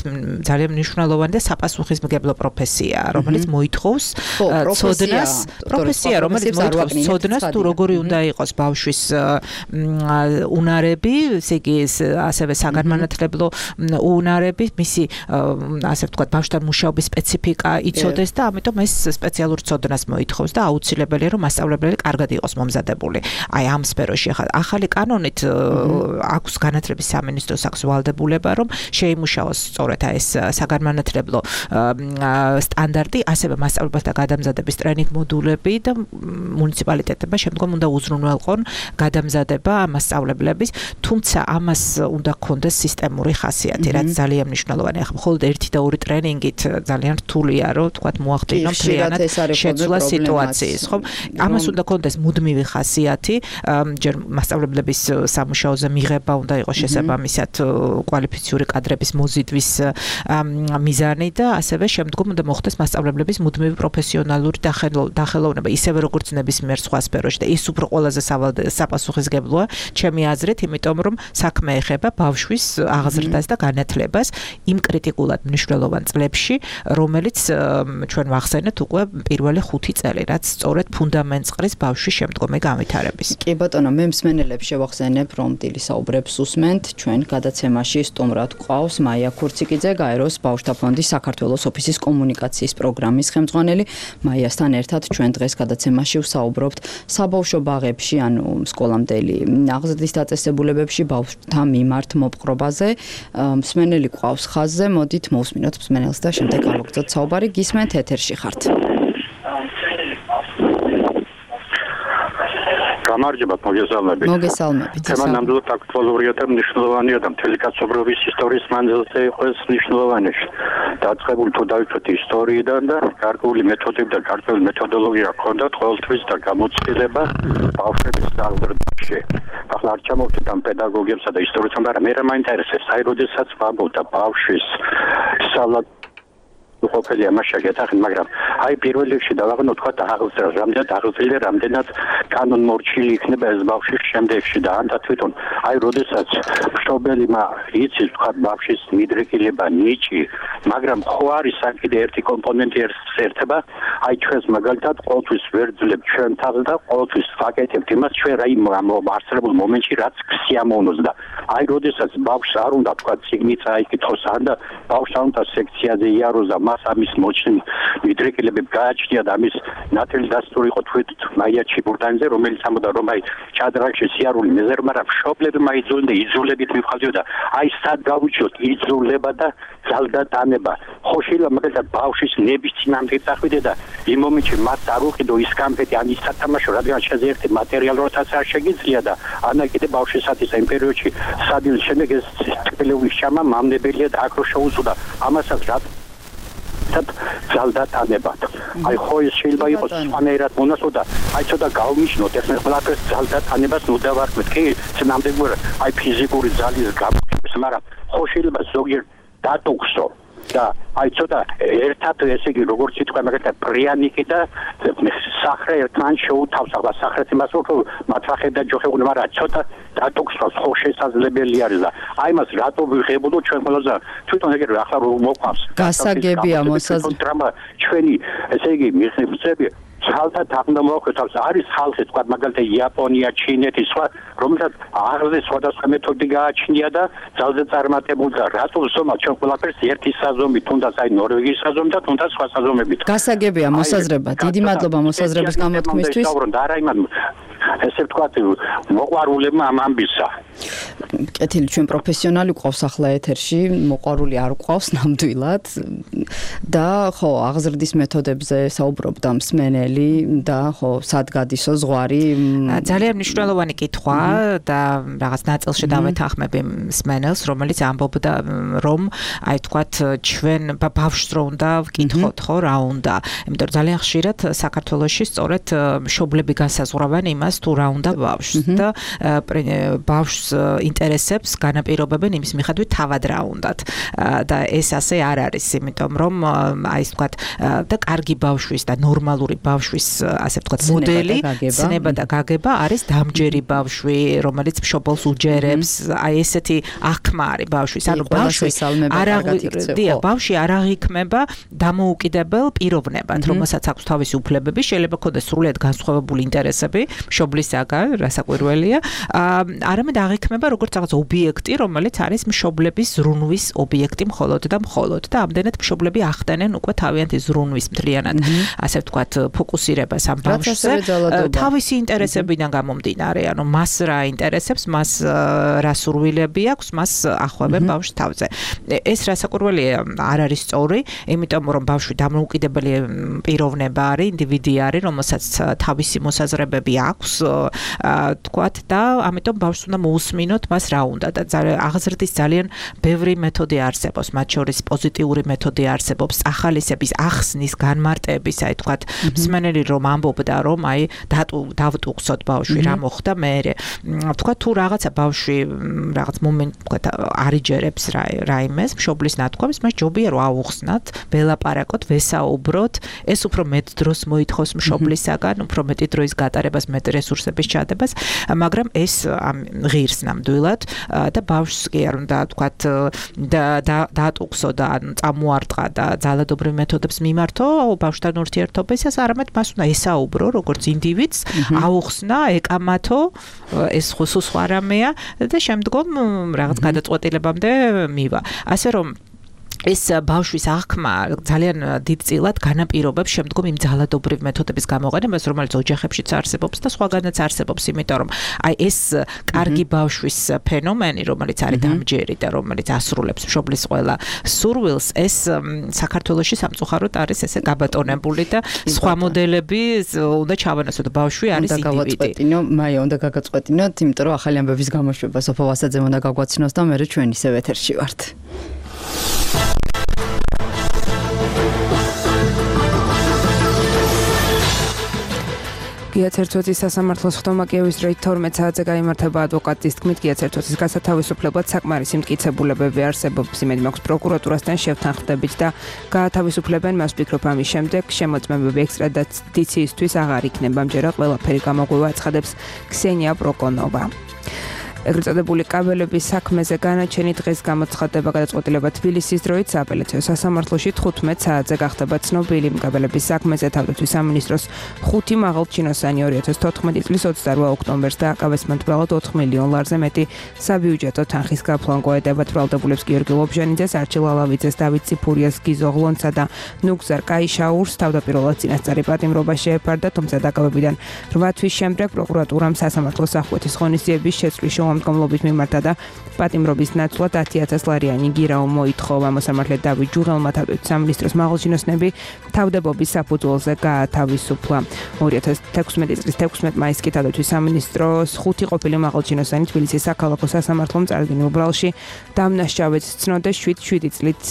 ძალიან მნიშვნელოვანი და საპასუხისმგებლო პროფესიაა, რომელიც მოითხოვს ცოდნას, პროფესია, რომელიც მოითხოვს ცოდნას თუ როგორი უნდა იყოს ბავშვის უნარები, ესე იგი ასევე საგანმანათლებლო უნარები, მისი ასე ვთქვათ, ბავშვთან მუშაობის სპეციფიკა იცოდეს და ამიტომ ეს სპეციალურ ცოდნას მოითხოვს და აუცილებელია რომ მასწავლებელი კარგად იყოს მომზადებული. აი ამ სფეროში ახლა ახალი კანონით აქვს განათლების სამინისტროს აქვს ვალდებულება რომ შეიმუშაოს სწორედ ეს საგანმანათლებლო სტანდარტი, ასევე მასწავლებელთა გადამზადების ტრენინგ მოდულები და მუნიციპალიტეტებმა შემდგომ უნდა უზრუნველყონ გადამზადება მასწავლებლების თუმცა ამას უნდა ქონდეს სისტემური ხასიათი, რაც ძალიან მნიშვნელოვანია. ახლა მხოლოდ ერთი და ორი ტრენინგით ძალიან რთულია, რომ თქვათ მოახდინო მთლიანად შეცვლა სიტუაციის, ხო? ამას უნდა ქონდეს მუდმივი ხასიათი, ჯერ მასწავლებლების სამუშაოზე მიღება უნდა იყოს შესაბამისად კვალიფიციური კადრების მოზიდვის მიზანი და ასევე შემდგომ უნდა მოხდეს მასწავლებლების მუდმივი პროფესიონალური დახელოვნება, ისევე როგორც ნებისმიერ სხვა სფეროში და ის უფრო ყველაზე საპასუხისმგებლოა ჩემი აზრით, იმიტომ რომ საქმე ეხება ბავშვის აღზრდას და განათლებას იმ კრიტიკულად მნიშვნელოვან წლებში, რომელიც ჩვენ ვახსენეთ უკვე პირველი ხუთი წელი, რაც სწორედ ფუნდამენტს ყრის ბავშვის შემდგომი განვითარების. კი ბატონო, მე მსმენელებს შევახსენებ, რომ დილის საუბრებს უსმენთ ჩვენ გადაცემაში სტუმრად გვყავს მაია ქურციკიძე, გაეროს ბავშვთა ფონდის საქართველოს ოფისის კომუნიკაციის პროგრამის ხელმძღვანელი. მაიასთან ერთად ჩვენ დღეს გადაცემაში ვსაუბრობთ საბავშვო ბაღებში, ანუ სკოლამდელი აღზრდის დაწესებულებებში ბავშვთა მიმართ მოპყრობაზე. მსმენელი გვყავს ხაზზე, მოდით მოვსმინოთ მსმენელს და შემდეგ გავაგრძელოთ საუბარი. გისმენთ, ეთერში ხართ. გამარჯობა, მოგესალმებით. მოგესალმებით. თემა ნამდვილად აქტუალურია და მნიშვნელოვანია და მთელი კაცობრიობის ისტორიის მანძილზე იყოს მნიშვნელოვანი. დაწყებული თუ დავიცვათ ისტორიიდან და გარკვეული მეთოდები და გარკვეული მეთოდოლოგია ჰქონდათ ყოველთვის და გამოცდილება ბავშვების აღზრდაში. ახლა არ ჩამოვთით ამ პედაგოგებსა და ისტორიოსებს, მაგრამ მე რა მაინტერესებს, აი როდესაც ვამბობ და ბავშვის სწავლა ყოფილი ამას შეგეთახეთ, მაგრამ აი პირველ რიგში დავაღნო თქვა აღზრდა, რამდენად აღზრდილი, რამდენად კანონმორჩილი იქნება ეს ბავშვის შემდეგში და ანდა თვითონ აი როდესაც მშობელმა იცის თქვა ბავშვის მიდრეკილება, ნიჭი, მაგრამ ხო არის აქ კიდე ერთი კომპონენტი ერთება, აი ჩვენს მაგალითად ყოველთვის ვერ ძლებ ჩვენ თავს და ყოველთვის ვაკეთებთ იმას ჩვენ რა იმ არსებულ მომენტში რაც სიამოვნოს და აი როდესაც ბავშვს არ უნდა თქვა ციგნი წაიკითხოს ან და ბავშვს არ უნდა სექციაზე იაროს და მას ამის მოჩნი მიდრეკილებები გააჩნია და ამის ნათელი დასტური იყო თვით მაია ჩიბურდანიძე, რომელიც ამბობდა რომ აი ჩადრაგში სიარული მეზერ, მაგრამ მშობლებმა იძულდნენ და იძულებით მივხავდიოდა აი სად გავუჩიოთ იძულება და ძალდატანება. ხო შეიძლება მაგალითად ბავშვის ნების წინამდე წახვიდე და იმ მომენტში მას არ უყიდო ის კამფეტი ან ის სათამაშო, რადგან შეძერტი მატერიალურადაც არ შეგიძლია და ანა კიდე ბავშვისათვის იმ პერიოდში სადილის შემდეგ ეს ტელევიზიის ჩამა მამნებელია და აქ რო შეუწოდა ამასაც რა ძალდატანებად. აი ხო ის შეიძლება იყოს სხვანაირად მონაცოდა, აი ცოტა გავმიჩნოთ ეს მე ყველაფერს ძალდატანებას ნუ დავარქვით. კი, ნამდვილად აი ფიზიკური ძალის გამოყენებას, მაგრამ ხო შეიძლება ზოგიერთ დატოქსო და აი ცოტა ერთად ესე იგი როგორც ითქვა მაგალითად პრიანიკი და სახრე ერთმან შეუთავს, ახლა სახრეს იმას რომ მათრახე და ჯოხებული, მაგრამ ცოტა დატოქსოს ხო შესაძლებელი არის და აი მას რატო ვიღებოდო ჩვენ ყველაზე თვითონ ეგრე ახლა რომ მოყვავს გასაგებია მოსაზრება ჩვენი ესე იგი მიღწევები ძალდათ აღნა მოაქვეთავს. არის ხალხი თქვა მაგალითად იაპონია, ჩინეთი, სხვა რომელსაც აღზრდის სხვადასხვა მეთოდი გააჩნია და ძალზე წარმატებული და რატო ზომა ჩვენ ყველაფერს ერთი საზომი, თუნდაც აი ნორვეგიის საზომი და თუნდაც სხვა საზომებით. გასაგებია მოსაზრება. დიდი მადლობა მოსაზრების გამოთქმისთვის. და არა იმან ესე ვთქვათ მოყვარულებმა ამ ამბისა. კეთილი, ჩვენ პროფესიონალი გვყავს ახლა ეთერში, მოყვარული არ გვყავს ნამდვილად და ხო აღზრდის მეთოდებზე საუბრობდა მსმენელი და ხო სად გადისო ზღვარი. ძალიან მნიშვნელოვანი კითხვა და რაღაც ნაწილში დავეთანხმები მსმენელს, რომელიც ამბობდა რომ აი თქვათ ჩვენ ბავშვს რო უნდა ვკითხოთ, ხო რა უნდა. იმიტომ რომ ძალიან ხშირად საქართველოში სწორედ მშობლები განსაზღვრავენ იმას თუ რა უნდა ბავშვს და ბავშვს ინტერესებს განაპირობებენ იმის მიხედვით თავად რა უნდათ და ეს ასე არ არის, იმიტომ რომ აი ეს ვთქვათ და კარგი ბავშვის და ნორმალური ბავშვის ასე ვთქვათ მოდელი, ცნება და გაგება არის დამჯერი ბავშვი, რომელიც მშობელს უჯერებს, აი ესეთი აღქმა არის ბავშვის. ანუ ბავშვი არ აღიქცევა, ბავშვი არ აღიქმება დამოუკიდებელ პიროვნებად, რომელსაც აქვს თავისი უფლებები, შეიძლება ქონდეს სრულიად განსხვავებული ინტერესები მშობლისაგან, რასაკვირველია, არამედ აღიქმება როგორც რაღაც ობიექტი, რომელიც არის მშობლების ზრუნვის ობიექტი მხოლოდ და მხოლოდ და ამდენად მშობლები ახდენენ უკვე თავიანთი ზრუნვის მთლიანად, ასე ვთქვათ, ფოკუსირებას ამ ბავშვზე, თავისი ინტერესებიდან გამომდინარე, ანუ მას რა ინტერესებს, მას რა სურვილები აქვს, მას ახვევენ ბავშვს თავზე. ეს რასაკვირველია არ არის სწორი, იმიტომ რომ ბავშვი დამოუკიდებელი პიროვნება არის, ინდივიდი არის, რომელსაც თავისი მოსაზრებები აქვს, თქვათ და ამიტომ ბავშვს უნდა მოусმინოთ ვთქვათ, მას რა უნდა და აღზრდის ძალიან ბევრი მეთოდი არსებობს, მათ შორის პოზიტიური მეთოდი არსებობს, ახალისების ახსნის, განმარტების, აი თქვათ, მსმენელი რომ ამბობდა, რომ აი დავტუხსოთ ბავშვი, რა მოხდა მერე. ვთქვათ, თუ რაღაცა ბავშვი რაღაც მომენტ ვთქვათ არიჯერებს რაიმეს, მშობლის ნათქვამს, მას ჯობია რომ აუხსნათ, ველაპარაკოთ, ვესაუბროთ, ეს უფრო მეტ დროს მოითხოვს მშობლისაგან, უფრო მეტი დროის გატარებას, მეტ რესურსების ჩადებას, მაგრამ ეს ღირს ნამდვილად და ბავშვს კი არ უნდა ვთქვათ დაატუხსო და წამოარტყა და ძალადობრივ მეთოდებს მიმართო ბავშვთან ურთიერთობისას, არამედ მას უნდა ესაუბრო როგორც ინდივიდს, აუხსნა, ეკამათო, ეს ხუსუ სხვა რამეა და შემდგომ რაღაც გადაწყვეტილებამდე მივა. ასე რომ ეს ბავშვის აღქმა ძალიან დიდწილად განაპირობებს შემდგომ იმ ძალადობრივ მეთოდების გამოყენებას, რომელიც ოჯახებშიც არსებობს და სხვაგანაც არსებობს, იმიტომ რომ აი ეს კარგი ბავშვის ფენომენი, რომელიც არის დამჯერი და რომელიც ასრულებს მშობლის ყველა სურვილს, ეს საქართველოში სამწუხაროდ არის ესე გაბატონებული და სხვა მოდელები უნდა ჩავანაცვლოთ, ბავშვი არის ინდივიდი. მაია, უნდა გაგაწყვეტინოთ, იმიტომ რომ ახალი ამბების გამოშვება სოფო ვასაძემ უნდა გაგვაცნოს და მე ჩვენ ისევ ეთერში ვართ. გიაცერცოცის სასამართლოს ხდომა კიევის დროით თორმეტ საათზე გაიმართება ადვოკატის თქმით, გიაცერცოცის გასათავისუფლებლად საკმარისი მტკიცებულებები არსებობს, იმედი მაქვს პროკურატურასთან შევთანხმდებით და გაათავისუფლებენ მას. ვფიქრობ, ამის შემდეგ შემოწმებები ექსტრადიციისთვის აღარ იქნება, ამჯერად ყველაფერი გამოგვივა, აცხადებს ქსენია პროკონოვა. ეგრეთ წოდებული კაბელების საქმეზე განაჩენი დღეს გამოცხადდება გადაწყვეტილება თბილისის დროით სააპელაციო სასამართლოში თხუთმეტ საათზე გახდება ცნობილი. კაბელების საქმეზე თავდაცვის სამინისტროს ხუთი მაღალჩინოსანი ორი ათას თოთხმეტი წლის ოცდაოთხ ოქტომბერს დააკავეს მათ ბრალად ოთხ მილიონ ლარზე მეტი საბიუჯეტო თანხის გაფლან ყოედებათ ბრალდებულებს გიორგი ლობჟანიძეს, არჩილ ალავიძეს, დავით ციფურიას, გიზო ღლონცსა და ნუგზარ კაიშაურს თავდაპირველად წინასწარი პატიმრობა შეეფარდა, თუმცა დაკავებიდან რვა თვის შემდეგ პროკურატურამ სასამართლოს ახკვეთის ღონისძიების შეცვლის მდგომლობით მიმართა და პატიმრობის ნაცვლად ათი ათას ლარიანი გირაო მოითხოვა. მოსამართლე დავით ჯუღელმა თავდაცვის სამინისტროს მაღალჩინოსნები თავდებობის საფუძველზე გაათავისუფლა. ორი ათას თექვსმეტი წლის თექვსმეტ მაისს კი თავდაცვის სამინისტროს ხუთი ყოფილი მაღალჩინოსანი თბილისის საქალაქო სასამართლომ წარდგენილ ბრალში დამნაშავედ ცნოდეს შვიდ შვიდი წლით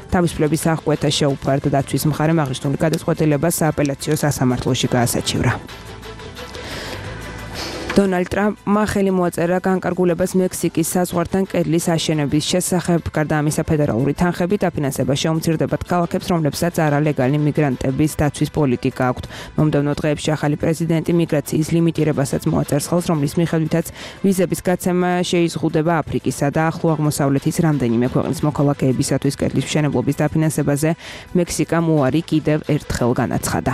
თავისუფლების აღკვეთა შეუფარდა. დაცვის მხარემ აღნიშნული გადაწყვეტილება სააპელაციო სასამართლოში გაასაჩივრა. დონალდ ტრამპმა ხელი მოაწერა განკარგულებას მექსიკის საზღვართან კედლის აშენების შესახებ. გარდა ამისა, ფედერალური თანხები დაფინანსება შეუმცირდებათ ქალაქებს, რომლებსაც არალეგალი მიგრანტების დაცვის პოლიტიკა აქვთ. მომდევნო დღეებში ახალი პრეზიდენტი მიგრაციის ლიმიტირებასაც მოაწერს ხელს, რომლის მიხედვითაც ვიზების გაცემა შეიზღუდება აფრიკისა და ახლო აღმოსავლეთის რამდენიმე ქვეყნის მოქალაქეებისათვის. კედლის მშენებლობის დაფინანსებაზე მექსიკამ უარი კიდევ ერთხელ განაცხადა.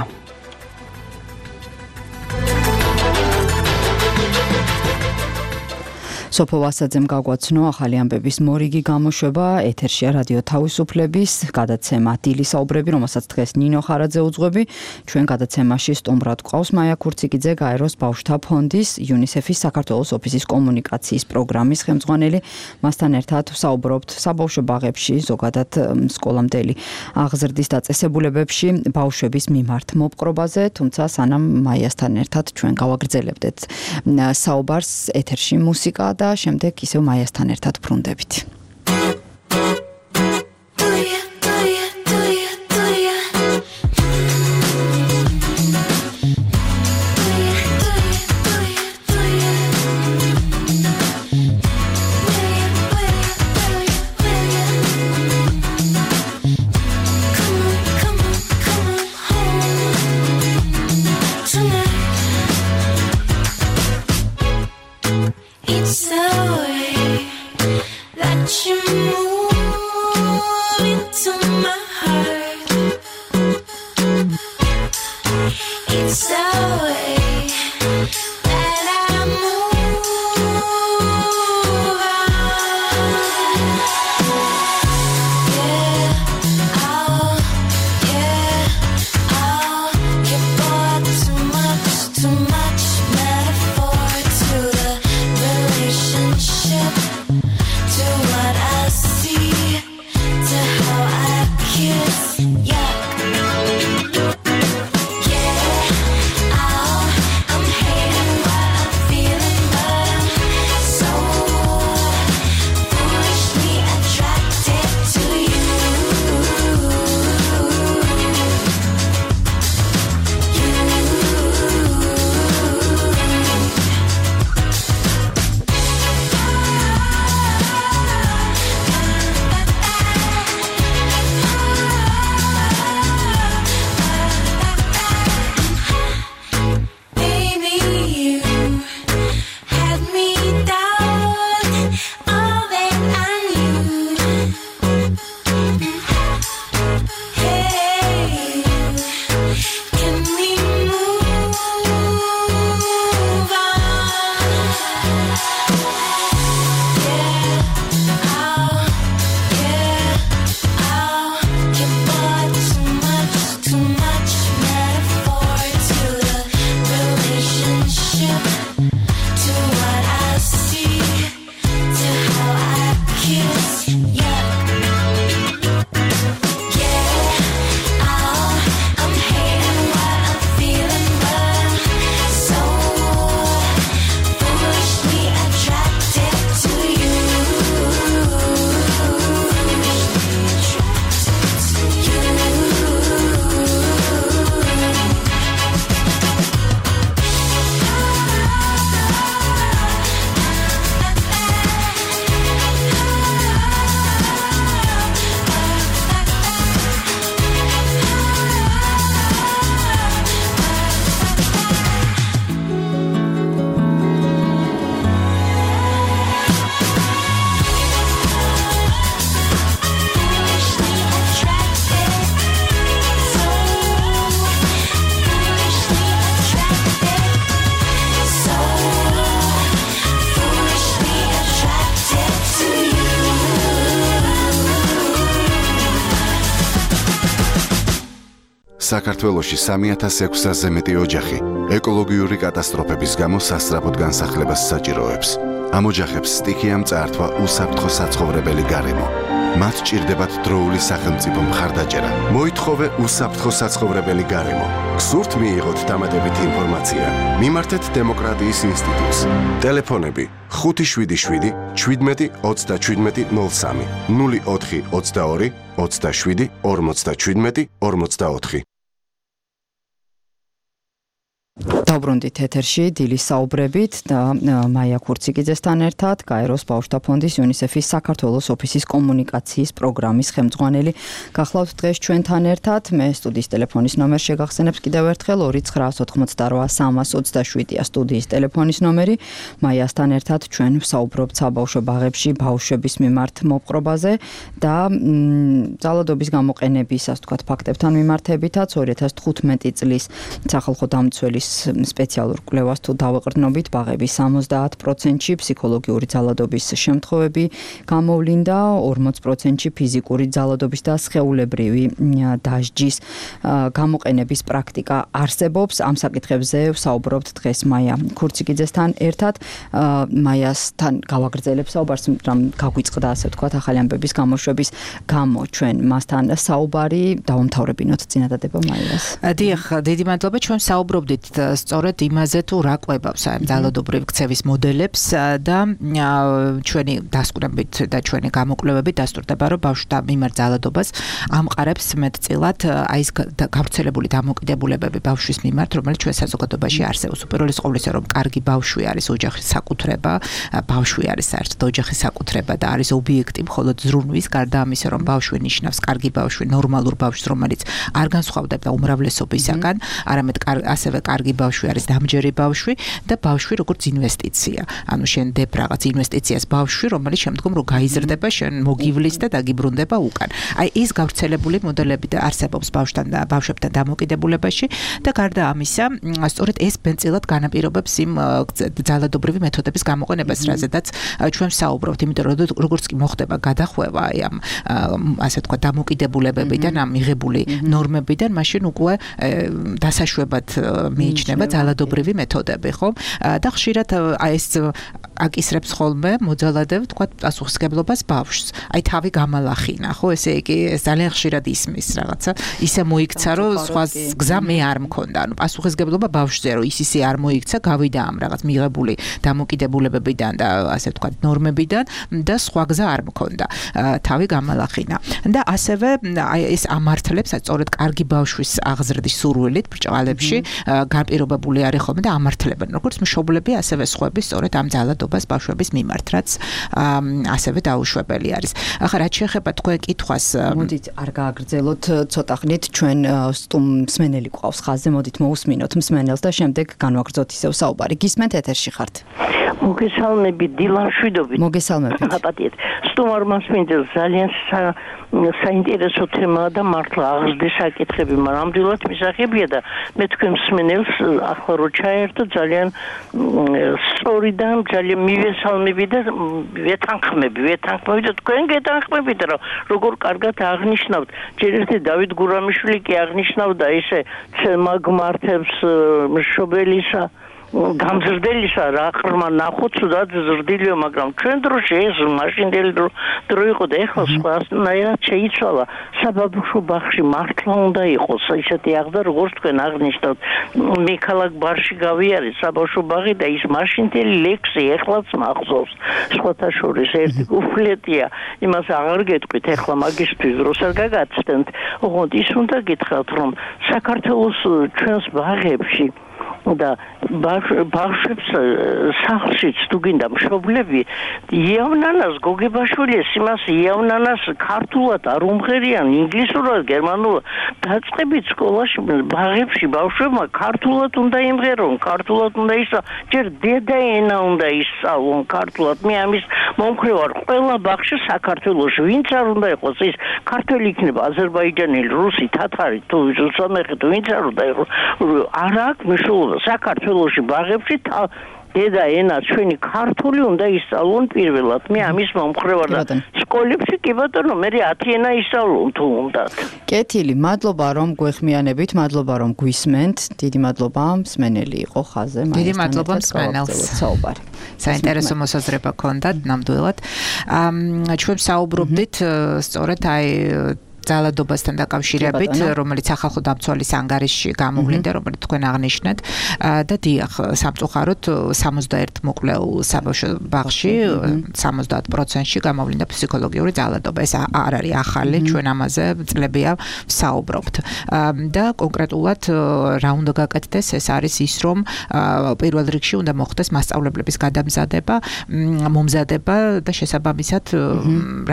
სოფო ვასაძემ გაგვაცნო ახალი ამბების მორიგი გამოშვება, ეთერშია რადიო თავისუფლების გადაცემა დილის საუბრები, რომელსაც დღეს ნინო ხარაძე უძღვები. ჩვენ გადაცემაში სტუმრად გვყავს მაია ქურციკიძე, გაეროს ბავშვთა ფონდის, იუნისეფის საქართველოს ოფისის კომუნიკაციის პროგრამის ხელმძღვანელი. მასთან ერთად საუბრობთ საბავშვო ბაღებში, ზოგადად სკოლამდელი აღზრდის დაწესებულებებში ბავშვების მიმართ მოპყრობაზე, თუმცა სანამ მაიასთან ერთად ჩვენ გავაგრძელებდეთ საუბარს, ეთერში მუსიკა და შემდეგ ისევ მაიასთან ერთად ბრუნდებით. Yeah. საქართველოში სამი ათას ექვსასზე მეტი ოჯახი ეკოლოგიური კატასტროფების გამო სასწრაფოდ განსახლებას საჭიროებს. ამ ოჯახებს სტიქიამ წაართვა უსაფრთხო საცხოვრებელი გარემო. მათ ჭირდებათ დროული სახელმწიფო მხარდაჭერა. მოითხოვე უსაფრთხო საცხოვრებელი გარემო. გსურთ მიიღოთ დამატებითი ინფორმაცია? მიმართეთ დემოკრატიის ინსტიტუტს. ტელეფონები ხუთი შვიდი შვიდი შვიდმეტი ოცდაშვიდმეტი ნულ სამი ნული ოთხი ოცდაორი ოცდაშვიდი ორმოცდაშვიდმეტი ორმოცდაოთხი. დავბრუნდით ეთერში დილის საუბრებით და მაია ქურციკიძესთან ერთად გაეროს ბავშვთა ფონდის იუნისეფის საქართველოს ოფისის კომუნიკაციის პროგრამის ხელმძღვანელი გახლავთ დღეს ჩვენთან ერთად. მე სტუდიის ტელეფონის ნომერ შეგახსენებს კიდევ ერთხელ ორი ცხრაას ოთხმოცდარვა სამას ოცდაშვიდია სტუდიის ტელეფონის ნომერი. მაიასთან ერთად ჩვენ ვსაუბრობთ საბავშვო ბაღებში ბავშვების მიმართ მოპყრობაზე და ძალადობის გამოყენების ასე ვთქვათ ფაქტებთან მიმართებითაც ორი ათას თხუთმეტი წლის სახალხო დამცველის სპეციალურ კვლევას თუ დავეყრდნობით ბაღების სამოცდაათ პროცენტში ფსიქოლოგიური ძალადობის შემთხვევები გამოვლინდა, ორმოც პროცენტში ფიზიკური ძალადობის და სხეულებრივი დასჯის გამოყენების პრაქტიკა არსებობს. ამ საკითხებზე ვსაუბრობთ დღეს მაია ქურციკიძესთან ერთად. მაიასთან გავაგრძელებ საუბარს, რამ გაგვიწყდა ასე ვთქვათ ახალი ამბების გამოშვების გამო ჩვენ მასთან საუბარი დავამთავრებინოთ წინადადება მაიას. დიახ, დიდი მადლობა. ჩვენ საუბრობდით სწორედ იმაზე თუ რა ყვებავს ამ ძალადობრივი ქცევის მოდელებს და ჩვენი დასკვნებით და ჩვენი გამოკვლევებით დასტურდება, რომ ბავშვთა მიმართ ძალადობას ამყარებს მეტწილად აი ეს გავრცელებული დამოკიდებულებები ბავშვის მიმართ, რომელიც ჩვენ საზოგადოებაში არსებობს. უპირველეს ყოვლისა, რომ კარგი ბავშვი არის ოჯახის საკუთრება, ბავშვი არის საერთოდ ოჯახის საკუთრება და არის ობიექტი მხოლოდ ზრუნვის, გარდა ამისა, რომ ბავშვი ნიშნავს კარგი ბავშვი, ნორმალურ ბავშვს, რომელიც არ განსხვავდება უმრავლესობისაგან, არამედ ასევე კარგი ბავშვი არის დამჯერი ბავშვი და ბავშვი როგორც ინვესტიცია. ანუ შენ დებ რაღაც ინვესტიციას ბავშვი, რომელიც შემდგომ რო გაიზრდება, შენ მოგივლის და დაგიბრუნდება უკან. აი ეს გავრცელებული მოდელები და არსებობს ბავშვთან და ბავშვებთან დამოკიდებულებაში და გარდა ამისა, სწორედ ეს ბენწილად განაპირობებს იმ ძალადობრივი მეთოდების გამოყენებას, რაზედაც ჩვენ ვსაუბრობთ, იმიტომ რომ როგორც კი მოხდება გადახვევა აი ამ ასე ვთქვათ დამოკიდებულებებიდან, ამ მიღებული ნორმებიდან, მაშინ უკვე დასაშვებად მიიჩნევა ძალადობრივი მეთოდები, ხო? და ხშირად აი ეს აკისრებს ხოლმე მოძალადებ, თქვა პასუხისმგებლობას ბავშვს. აი თავი გამალახინა, ხო? ესე იგი ეს ძალიან ხშირად ისმის რაღაცა. ისე მოიქცა, რომ სხვა გზა მე არ მქონდა. ანუ პასუხისმგებლობა ბავშვზე, რომ ის ისე არ მოიქცა, გავიდა ამ რაღაც მიღებული დამოკიდებულებებიდან და ასე ვთქვათ ნორმებიდან და სხვა გზა არ მქონდა. თავი გამალახინა. და ასევე აი ეს ამართლებს სწორედ კარგი ბავშვის აღზრდის სურვილით ბრჭყალებში განპირობებული არის ხოლმე და ამართლებენ როგორც მშობლები, ასევე სხვები სწორედ ამ ძალადობას ბავშვების მიმართ, რაც ასევე დაუშვებელი არის. ახლა რაც შეეხება თქვენ კითხვას, მოდით არ გააგრძელოთ ცოტა ხნით, ჩვენ მსმენელი გვყავს ხაზზე, მოდით მოусმინოთ მსმენელს და შემდეგ განვაგრძოთ ისევ საუბარი. გისმენთ ეთერში ხართ? მოგესალმებით, დილან შვიდობით. მოგესალმებით. აპატიეთ. სტუმარ მასპინძელს ძალიან საინტერესო თემაა და მართლა აღზრდის საკითხები, მაგრამ ამდენად მისაღებია და მე თქვენ მსმენელს ახლა რო ჩაერთო ძალიან სწორი და ძალიან მივესალმები და ვეთანხმები, ვეთანხმები და თქვენ გეთანხმებით, რომ როგორ კარგად აღნიშნავთ. ჯერ ერთი დავით გურამიშვილი კი აღნიშნავდა ესე მაგმართებს მშობელისა გამზრდელისა რა ხრმა ნახოთ სუდად ზრდილიო, მაგრამ ჩვენ დროში ეს მაშინდელი დრო იყო და ეხლა სხვანაირად შეიცვალა. საბავშვო ბაღში მართლა უნდა იყოს ისეთი აღზრდა, როგორც თქვენ აღნიშნავთ. მე ქალაქ ბარში გავიარე საბავშვო ბაღი და ის მაშინდელი ლექსი ეხლაც მახსოვს. სხვათა შორის ერთი უფლეტია, იმას აღარ გეტყვით, ეხლა მაგისთვის დროს არ გაგაცდენთ. ოღონდ ის უნდა გითხრათ, რომ საქართველოს ჩვენს ბაღებში და ბავშვებს სახლშიც თუ გინდა მშობლები იავნანას გოგებაშვილის იმას იავნანას ქართულად არ უმღერიან, ინგლისურად, გერმანულად დაწყებით სკოლაში ბაღებში ბავშვებმა ქართულად უნდა იმღერონ, ქართულად უნდა ისწავლონ, ჯერ დედაენა უნდა ისწავლონ ქართულად. მე ამის მომხრე ვარ, ყველა ბაღში საქართველოში ვინც არ უნდა იყოს, ის ქართველი იქნება, აზერბაიჯანელი, რუსი, თათარი თუ სომეხი თუ ვინც არ უნდა იყოს, არ აქვს მნიშვნელობა. საქართველოში ბაღებში დედა ენა ჩვენი ქართული უნდა ისწავლონ პირველად. მე ამის მომხრე ვარ და სკოლებში კი ბატონო მე ათი ენა ისწავლონ თუ უნდათ. კეთილი, მადლობა რომ გვეხმიანებით, მადლობა რომ გვისმენთ. დიდი მადლობა მსმენელი იყო ხაზე. დიდი მადლობა მსმენელს. საუბარი. საინტერესო მოსაზრება ქონდათ ნამდვილად. ჩვენ საუბრობდით სწორედ აი ძალადობასთან დაკავშირებით, რომელიც ახალ დამცველის ანგარიშში გამოვლინდა, რომელიც თქვენ აღნიშნეთ და დიახ, სამწუხაროდ სამოცდაერთ მოკლეულ საბავშვო ბაღში სამოცდაათ პროცენტში გამოვლინდა ფსიქოლოგიური ძალადობა. ეს არ არის ახალი, ჩვენ ამაზე წლებია ვსაუბრობთ. და კონკრეტულად რა უნდა გაკეთდეს, ეს არის ის, რომ პირველ რიგში უნდა მოხდეს მასწავლებლების გადამზადება, მომზადება და შესაბამისად,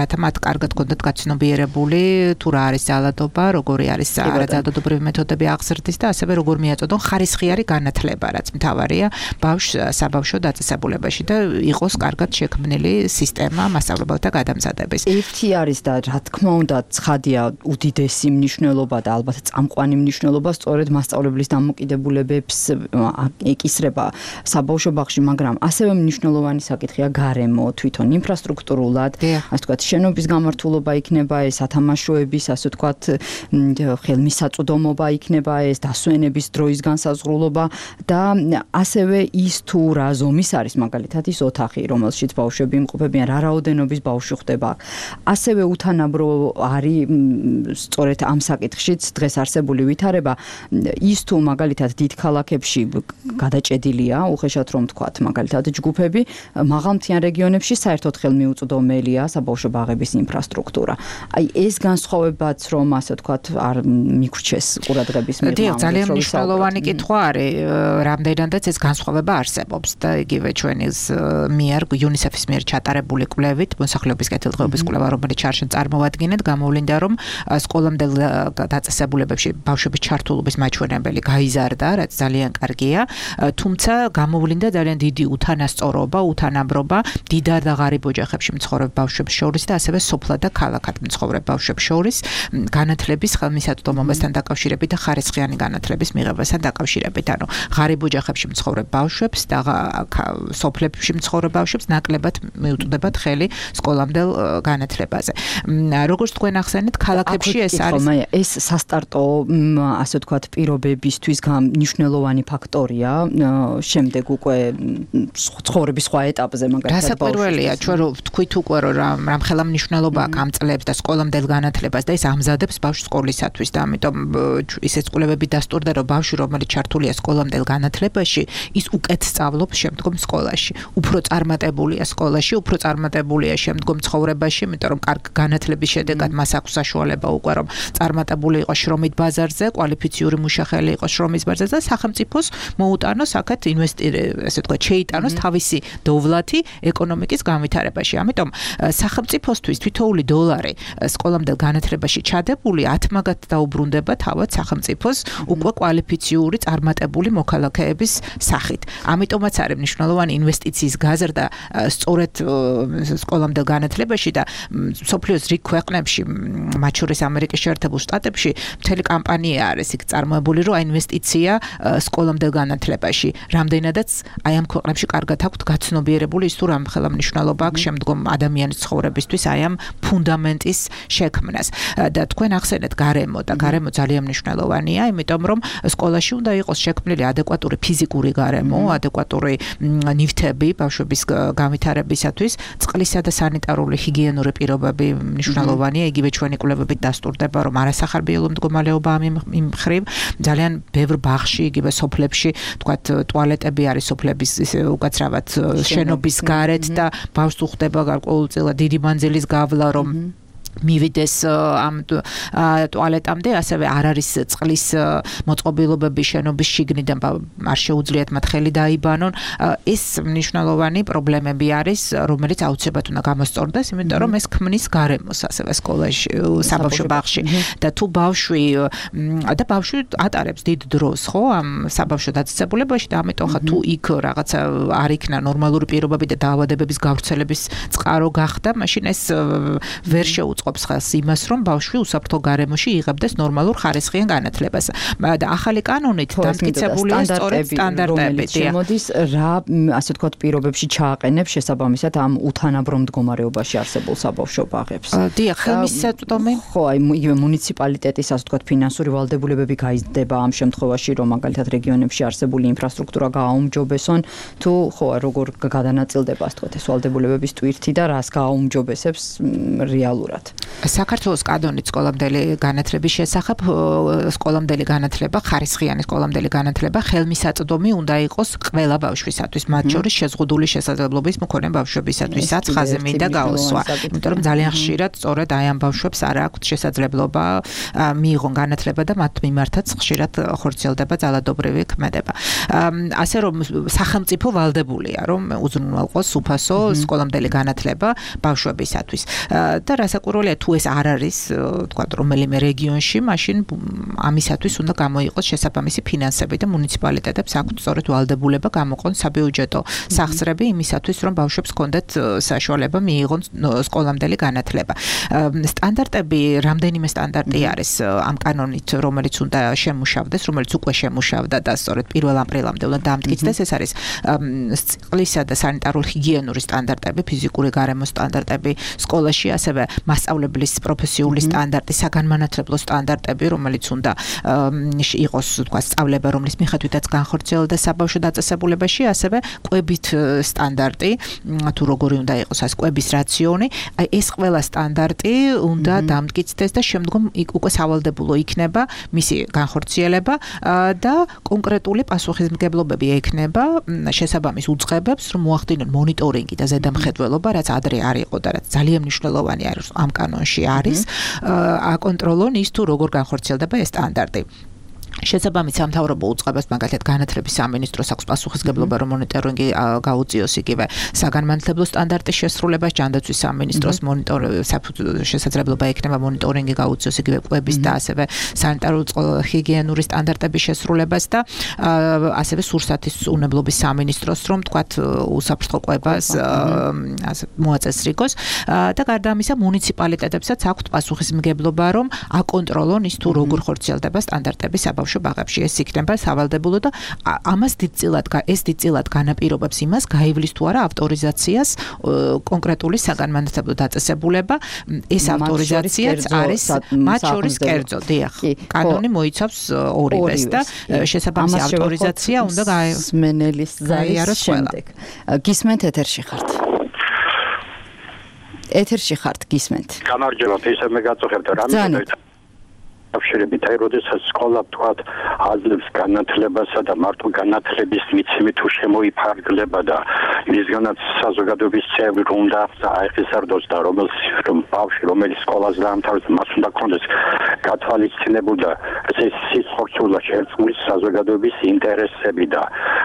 რათა მათ კარგად გქონდეთ გაცნობიერებული თუ რა არის ძალადობა, როგორი არის არაძალადობრივი მეთოდები აღზრდის და ასევე როგორ მიაწოდონ ხარისხიანი განათლება, რაც მთავარია ბავშვ საბავშვო დაწესებულებაში და იყოს კარგად შექმნილი სისტემა მასწავლებელთა გადამზადების. ერთი არის და რა თქმა უნდა ცხადია უდიდესი მნიშვნელობა და ალბათ წამყვანი მნიშვნელობა სწორედ მასწავლებლის დამოკიდებულებებს ეკისრება საბავშვო ბაღში, მაგრამ ასევე მნიშვნელოვანი საკითხია გარემო, თვითონ ინფრასტრუქტურულად, ასე ვთქვათ, შენობის გამართულობა იქნება ეს ათამაშოები ასე ვთქვათ, ხელმისაწვდომობა იქნება ეს დასვენების დროის განსაზღვრულობა და ასევე ის თუ რა ზომის არის მაგალითად ის ოთახი, რომელშიც ბავშვები იმყოფებიან, რა რაოდენობის ბავშვი ხდება. ასევე უთანაბრო არის სწორედ ამ საკითხშიც დღეს არსებული ვითარება, ის თუ მაგალითად დიდ ქალაქებში გადაჭედილია, უხეშად რომ ვთქვათ, მაგალითად ჯგუფები, მაღალმთიან რეგიონებში საერთოდ ხელმიუწვდომელია საბავშვო ბაღების ინფრასტრუქტურა. აი ეს განსხვავებაც რომ ასე ვთქვათ არ მიგვრჩეს ყურადღების მიერ. დიახ, ძალიან მნიშვნელოვანი კითხვა არის, რამდენადაც ეს განსხვავება არსებობს და იგივე ჩვენის მიერ იუნისეფის მიერ ჩატარებული კვლევით, მოსახლეობის კეთილდღეობის კვლევა, რომელიც ჩარჩენ წარმოვადგინეთ, გამოვლინდა, რომ სკოლამდელ დაწესებულებებში ბავშვების ჩართულობის მაჩვენებელი გაიზარდა, რაც ძალიან კარგია, თუმცა გამოვლინდა ძალიან დიდი უთანასწორობა, უთანაბრობა დიდარ და ღარიბ ოჯახებში მცხოვრებ ბავშვებს შორის და ასევე სოფლად და ქალაქად მცხოვრებ ბავშვებს შორის განათლების ხელმისაწვდომობასთან დაკავშირებით და ხარისხიანი განათლების მიღებასთან დაკავშირებით. ანუ ღარიბ ოჯახებში მცხოვრებ ბავშვებს და სოფლებში მცხოვრებ ბავშვებს ნაკლებად მიუწვდებათ ხელი სკოლამდელ განათლებაზე. როგორც თქვენ ახსენეთ, ქალაქებში ეს არის ეს სასტარტო ასე ვთქვათ პირობებისთვის მნიშვნელოვანი ფაქტორია შემდეგ უკვე ცხოვრების სხვა ეტაპზე მაგალითად დასაკვირველია ჩვენ რო ვთქვით უკვე რომ რამხელა მნიშვნელობა აქვს ამ წლებს და სკოლამდელ განათლებას და ეს ამზადებს ბავშვს სკოლისათვის და ამიტომ ისეთ კვლევები დასტურდა რომ ბავშვი რომელიც ჩართულია სკოლამდელ განათლებაში ის უკეთ სწავლობს შემდგომ სკოლაში უფრო წარმატებულია სკოლაში უფრო წარმატებულია შემდგომ ცხოვრებაში იმიტომ რომ კარგ განათლების შედეგად მას აქვს საშუალება უკვე რომ წარმატებული იყოს შრომით ბაზარზე კვალიფიციური მუშახელი იყოს შრომის ბაზარზე და სახელმწიფოს მოუტანოს აქეთ ინვესტირება ასე ვთქვათ შეიტანოს თავისი დოვლათი ეკონომიკის განვითარებაში ამიტომ სახელმწიფოსთვის თითოეული დოლარი სკოლამდელ განათლებაში ჩადებული ათმაგად დაუბრუნდება თავად სახელმწიფოს უკვე კვალიფიციური წარმატებული მოქალაქეების სახით. ამიტომაც არის მნიშვნელოვანი ინვესტიციის გაზრდა სწორედ სკოლამდელ განათლებაში და სოფლიოს რიგ ქვეყნებში, მათ შორის ამერიკის შეერთებულ შტატებში მთელი კამპანია არის იქ წარმოებული, რომ ინვესტიცია სკოლამდელ განათლებაში რამდენადაც აი ამ ქვეყნებში კარგად აქვთ გაცნობიერებული ის თუ რამხელა მნიშვნელობა აქვს შემდგომ ადამიანის ცხოვრებისთვის აი ამ ფუნდამენტის შექმნას. და თქვენ ახსენეთ გარემო და გარემო ძალიან მნიშვნელოვანია, იმიტომ რომ სკოლაში უნდა იყოს შექმნილი ადეკვატური ფიზიკური გარემო, ადეკვატური ნივთები ბავშვების განვითარებისათვის, წყლისა და სანიტარული ჰიგიენური პირობები მნიშვნელოვანია, იგივე ჩვენი კვლევებით დასტურდება, რომ არასახარბიელო მდგომარეობა ამ მხრივ ძალიან ბევრ ბაღში, იგივე სოფლებში, თქვათ ტუალეტები არის სოფლების უკაცრავად შენობის გარეთ და ბავშვს უხდება გარკვეულწილად დიდი მანძილის გავლა, რომ მივიდეს ამ ტუალეტამდე, ასევე არ არის წყლის მოწყობილობები შენობის შიგნიდან არ შეუძლიათ მათ ხელი დაიბანონ. ეს მნიშვნელოვანი პრობლემები არის, რომელიც აუცილებლად უნდა გამოსწორდეს, იმიტომ რომ ეს ქმნის გარემოს ასევე სკოლაში, საბავშვო ბაღში. და თუ ბავშვი და ბავშვი ატარებს დიდ დროს, ხო, ამ საბავშვო დაწესებულებაში და ამიტომ ხა თუ იქ რაღაცა არ იქნა ნორმალური პირობები და დაავადებების გავრცელების წყარო გახდა, მაშინ ეს ვერ შეუწყ უწყობს ხელს იმას, რომ ბავშვი უსაფრთხო გარემოში იღებდეს ნორმალურ ხარისხიან განათლებას. და ახალი კანონით დამტკიცებულია სწორედ სტანდარტები. შემოდის რა, ასე ვთქვათ, პირობებში ჩააყენებს შესაბამისად ამ უთანაბრო მდგომარეობაში არსებულ საბავშვო ბაღებს. დიახ, ხელმისაწვდომი. ხო, აი იგივე მუნიციპალიტეტის, ასე ვთქვათ, ფინანსური ვალდებულებები გაიზრდება ამ შემთხვევაში, რომ მაგალითად რეგიონებში არსებული ინფრასტრუქტურა გააუმჯობესონ, თუ ხო, როგორ გადანაწილდება, ასე ვთქვათ, ეს ვალდებულებების ტვირთი და რას გააუმჯობესებს რეალურად. საქართველოს კანონით სკოლამდელი განათლების შესახებ სკოლამდელი განათლება, ხარისხიანი სკოლამდელი განათლება ხელმისაწვდომი უნდა იყოს ყველა ბავშვისათვის, მათ შორის შეზღუდული შესაძლებლობის მქონე ბავშვებისათვისაც ხაზი მინდა გაუსვა. იმიტომ რომ ძალიან ხშირად სწორედ აი ამ ბავშვებს არ აქვთ შესაძლებლობა მიიღონ განათლება და მათ მიმართაც ხშირად ხორციელდება ძალადობრივი ქმედება. ასე რომ სახელმწიფო ვალდებულია, რომ უზრუნველყოს უფასო სკოლამდელი განათლება ბავშვებისათვის. და რასაკვირველია, თუ ეს არ არის, თქვა რომელიმე რეგიონში, მაშინ ამისათვის უნდა გამოიყოს შესაბამისი ფინანსები და მუნიციპალიტეტებს აქვთ სწორედ ვალდებულება გამოყონ საბიუჯეტო სახსრები იმისათვის, რომ ბავშვებს ჰქონდეთ საშუალება მიიღონ სკოლამდელი განათლება. სტანდარტები, რამდენიმე სტანდარტი არის ამ კანონით, რომელიც უნდა შემუშავდეს, რომელიც უკვე შემუშავდა და სწორედ პირველ აპრილამდე უნდა დამტკიცდეს. ეს არის წყლისა და სანიტარულ-ჰიგიენური სტანდარტები, ფიზიკური გარემოს სტანდარტები სკოლაში, ასევე მასწავლებლის პროფესიული სტანდარტი, საგანმანათლებლო სტანდარტები, რომელიც უნდა იყოს, თქვა, სწავლება, რომლის მიხედვითაც განხორციელდა საბავშვო დაწესებულებაში, ასევე კვებით სტანდარტი, თუ როგორი უნდა იყოს ეს კვების რაციონი. აი ეს ყველა სტანდარტი უნდა დამტკიცდეს და შემდგომ უკვე სავალდებულო იქნება მისი განხორციელება და კონკრეტული პასუხისმგებლობები ექნება შესაბამის უწყებებს, რომ მოახდინონ მონიტორინგი და ზედამხედველობა, რაც ადრე არ იყო და რაც ძალიან მნიშვნელოვანი არის ამ კანონში არის, აკონტროლონ ის თუ როგორ განხორციელდება ეს სტანდარტი. შესაბამის სამთავრობო უწყებას, მაგალითად განათლების სამინისტროს აქვს პასუხისმგებლობა, რომ მონიტორინგი გაუწიოს იგივე საგანმანათლებლო სტანდარტის შესრულებას, ჯანდაცვის სამინისტროს შესაძლებლობა ექნება მონიტორინგი გაუწიოს იგივე კვების და ასევე სანიტარულ-ჰიგიენური სტანდარტების შესრულებას და ასევე სურსათის უნებლობის სამინისტროს, რომ თქვათ უსაფრთხო კვებას მოაწესრიგოს და გარდა ამისა მუნიციპალიტეტებსაც აქვთ პასუხისმგებლობა, რომ აკონტროლონ ის თუ როგორ ხორციელდება სტანდარტები საბავშვო ბაღებში. ეს იქნება სავალდებულო და ამას დიდწილად ეს დიდწილად განაპირობებს იმას, გაივლის თუ არა ავტორიზაციას კონკრეტული საგანმანათლებლო დაწესებულება. ეს ავტორიზაციაც არის მათ შორის კერძო, დიახ. კანონი მოიცავს ორივეს და შესაბამისი ავტორიზაცია უნდა გაიაროს ზარის შემდეგ. გისმენთ ეთერში ხართ. ეთერში ხართ, გისმენთ. გამარჯობა, ისე მე გაწუხებთ რამე აფშერებით, აი, როდესაც სკოლა თქვათ აძლევს განათლებასა და მარტო განათლების მიცემით თუ შემოიფარგლება და მისგანაც საზოგადოების წევრი უნდა აეხისარდოს და რომელს რომ ბავშვი რომელიც სკოლას დაამთავრებს, მას უნდა ქონდეს გათვალისწინებული და ეს სიხორცულად შერწყმული საზოგადოების ინტერესები და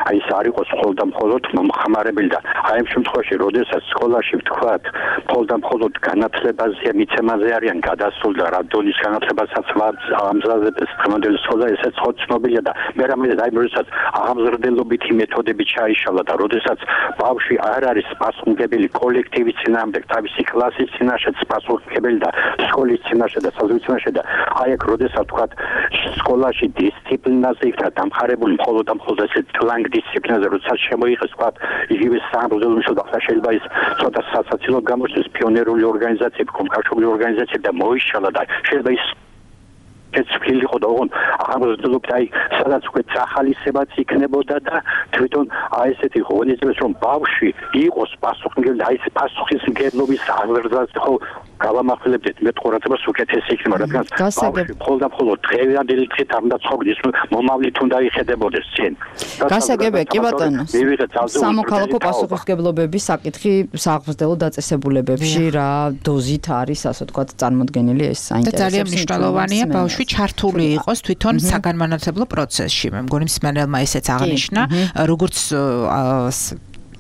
აი ეს არ იყოს მხოლოდ და მხოლოდ მომხმარებელი და აი ამ შემთხვევაში, როდესაც სკოლაში ვთქვათ, მხოლოდ და მხოლოდ განათლებაზე მიცემაზე არიან გადასული და რა დონის განათლებასაც ამზადებს დღევანდელი სკოლა, ესეც ხო ცნობილია და მე რამე აი როდესაც აღმზრდელობითი მეთოდები ჩაიშალა და როდესაც ბავშვი არ არის პასუხისმგებელი კოლექტივის წინააღმდეგ, თავისი კლასის წინაშე პასუხისმგებელი და სკოლის წინაშე და საზღვრის წინაშე და აი აქ როდესაც თქვათ სკოლაში დისციპლინაზე იქნა დამხარებული მხოლოდ და მხოლოდ ეს ტლანგ დისციპლინაზე, როდესაც შემოიღეს თქვათ იგივე სამშობლოში და შეიძლება ის ცოტა სასაცილო გამოჩნდეს პიონერული ორგანიზაციები, კომკავშირული ორგანიზაციები და მოიშალა და შეიძლება ის ეს ფილი ხო და ოღონ აღმოსდელობთ აი სადაც უკვე წახალისებაც იქნებოდა და თვითონ აი ესეთი ღონისძიებას რომ ბავშვი იყოს პასუხისმგებელი, აი ეს პასუხისმგებლობის აღზრდაზე ხო გავამახვილებდეთ მე ყურადღებას უკეთესი იქნება, რადგან ბავშვი მხოლოდ და მხოლოდ დღევანდელი დღით არ უნდა ცხოვრდეს, მომავლით უნდა იხედებოდეს წინ. გასაგებია, კი ბატონო. სამოქალაქო პასუხისმგებლობების საკითხი სააღმრთელო დაწესებულებებში რა დოზით არის, ასე ვთქვათ, წარმოდგენილი ეს საინტერესო. ძალიან მნიშვნელოვანია ბავშვი ჩართული იყოს თვითონ საგანმანათლებლო პროცესში. მე მგონი მსმენელმა ესეც აღნიშნა, როგორც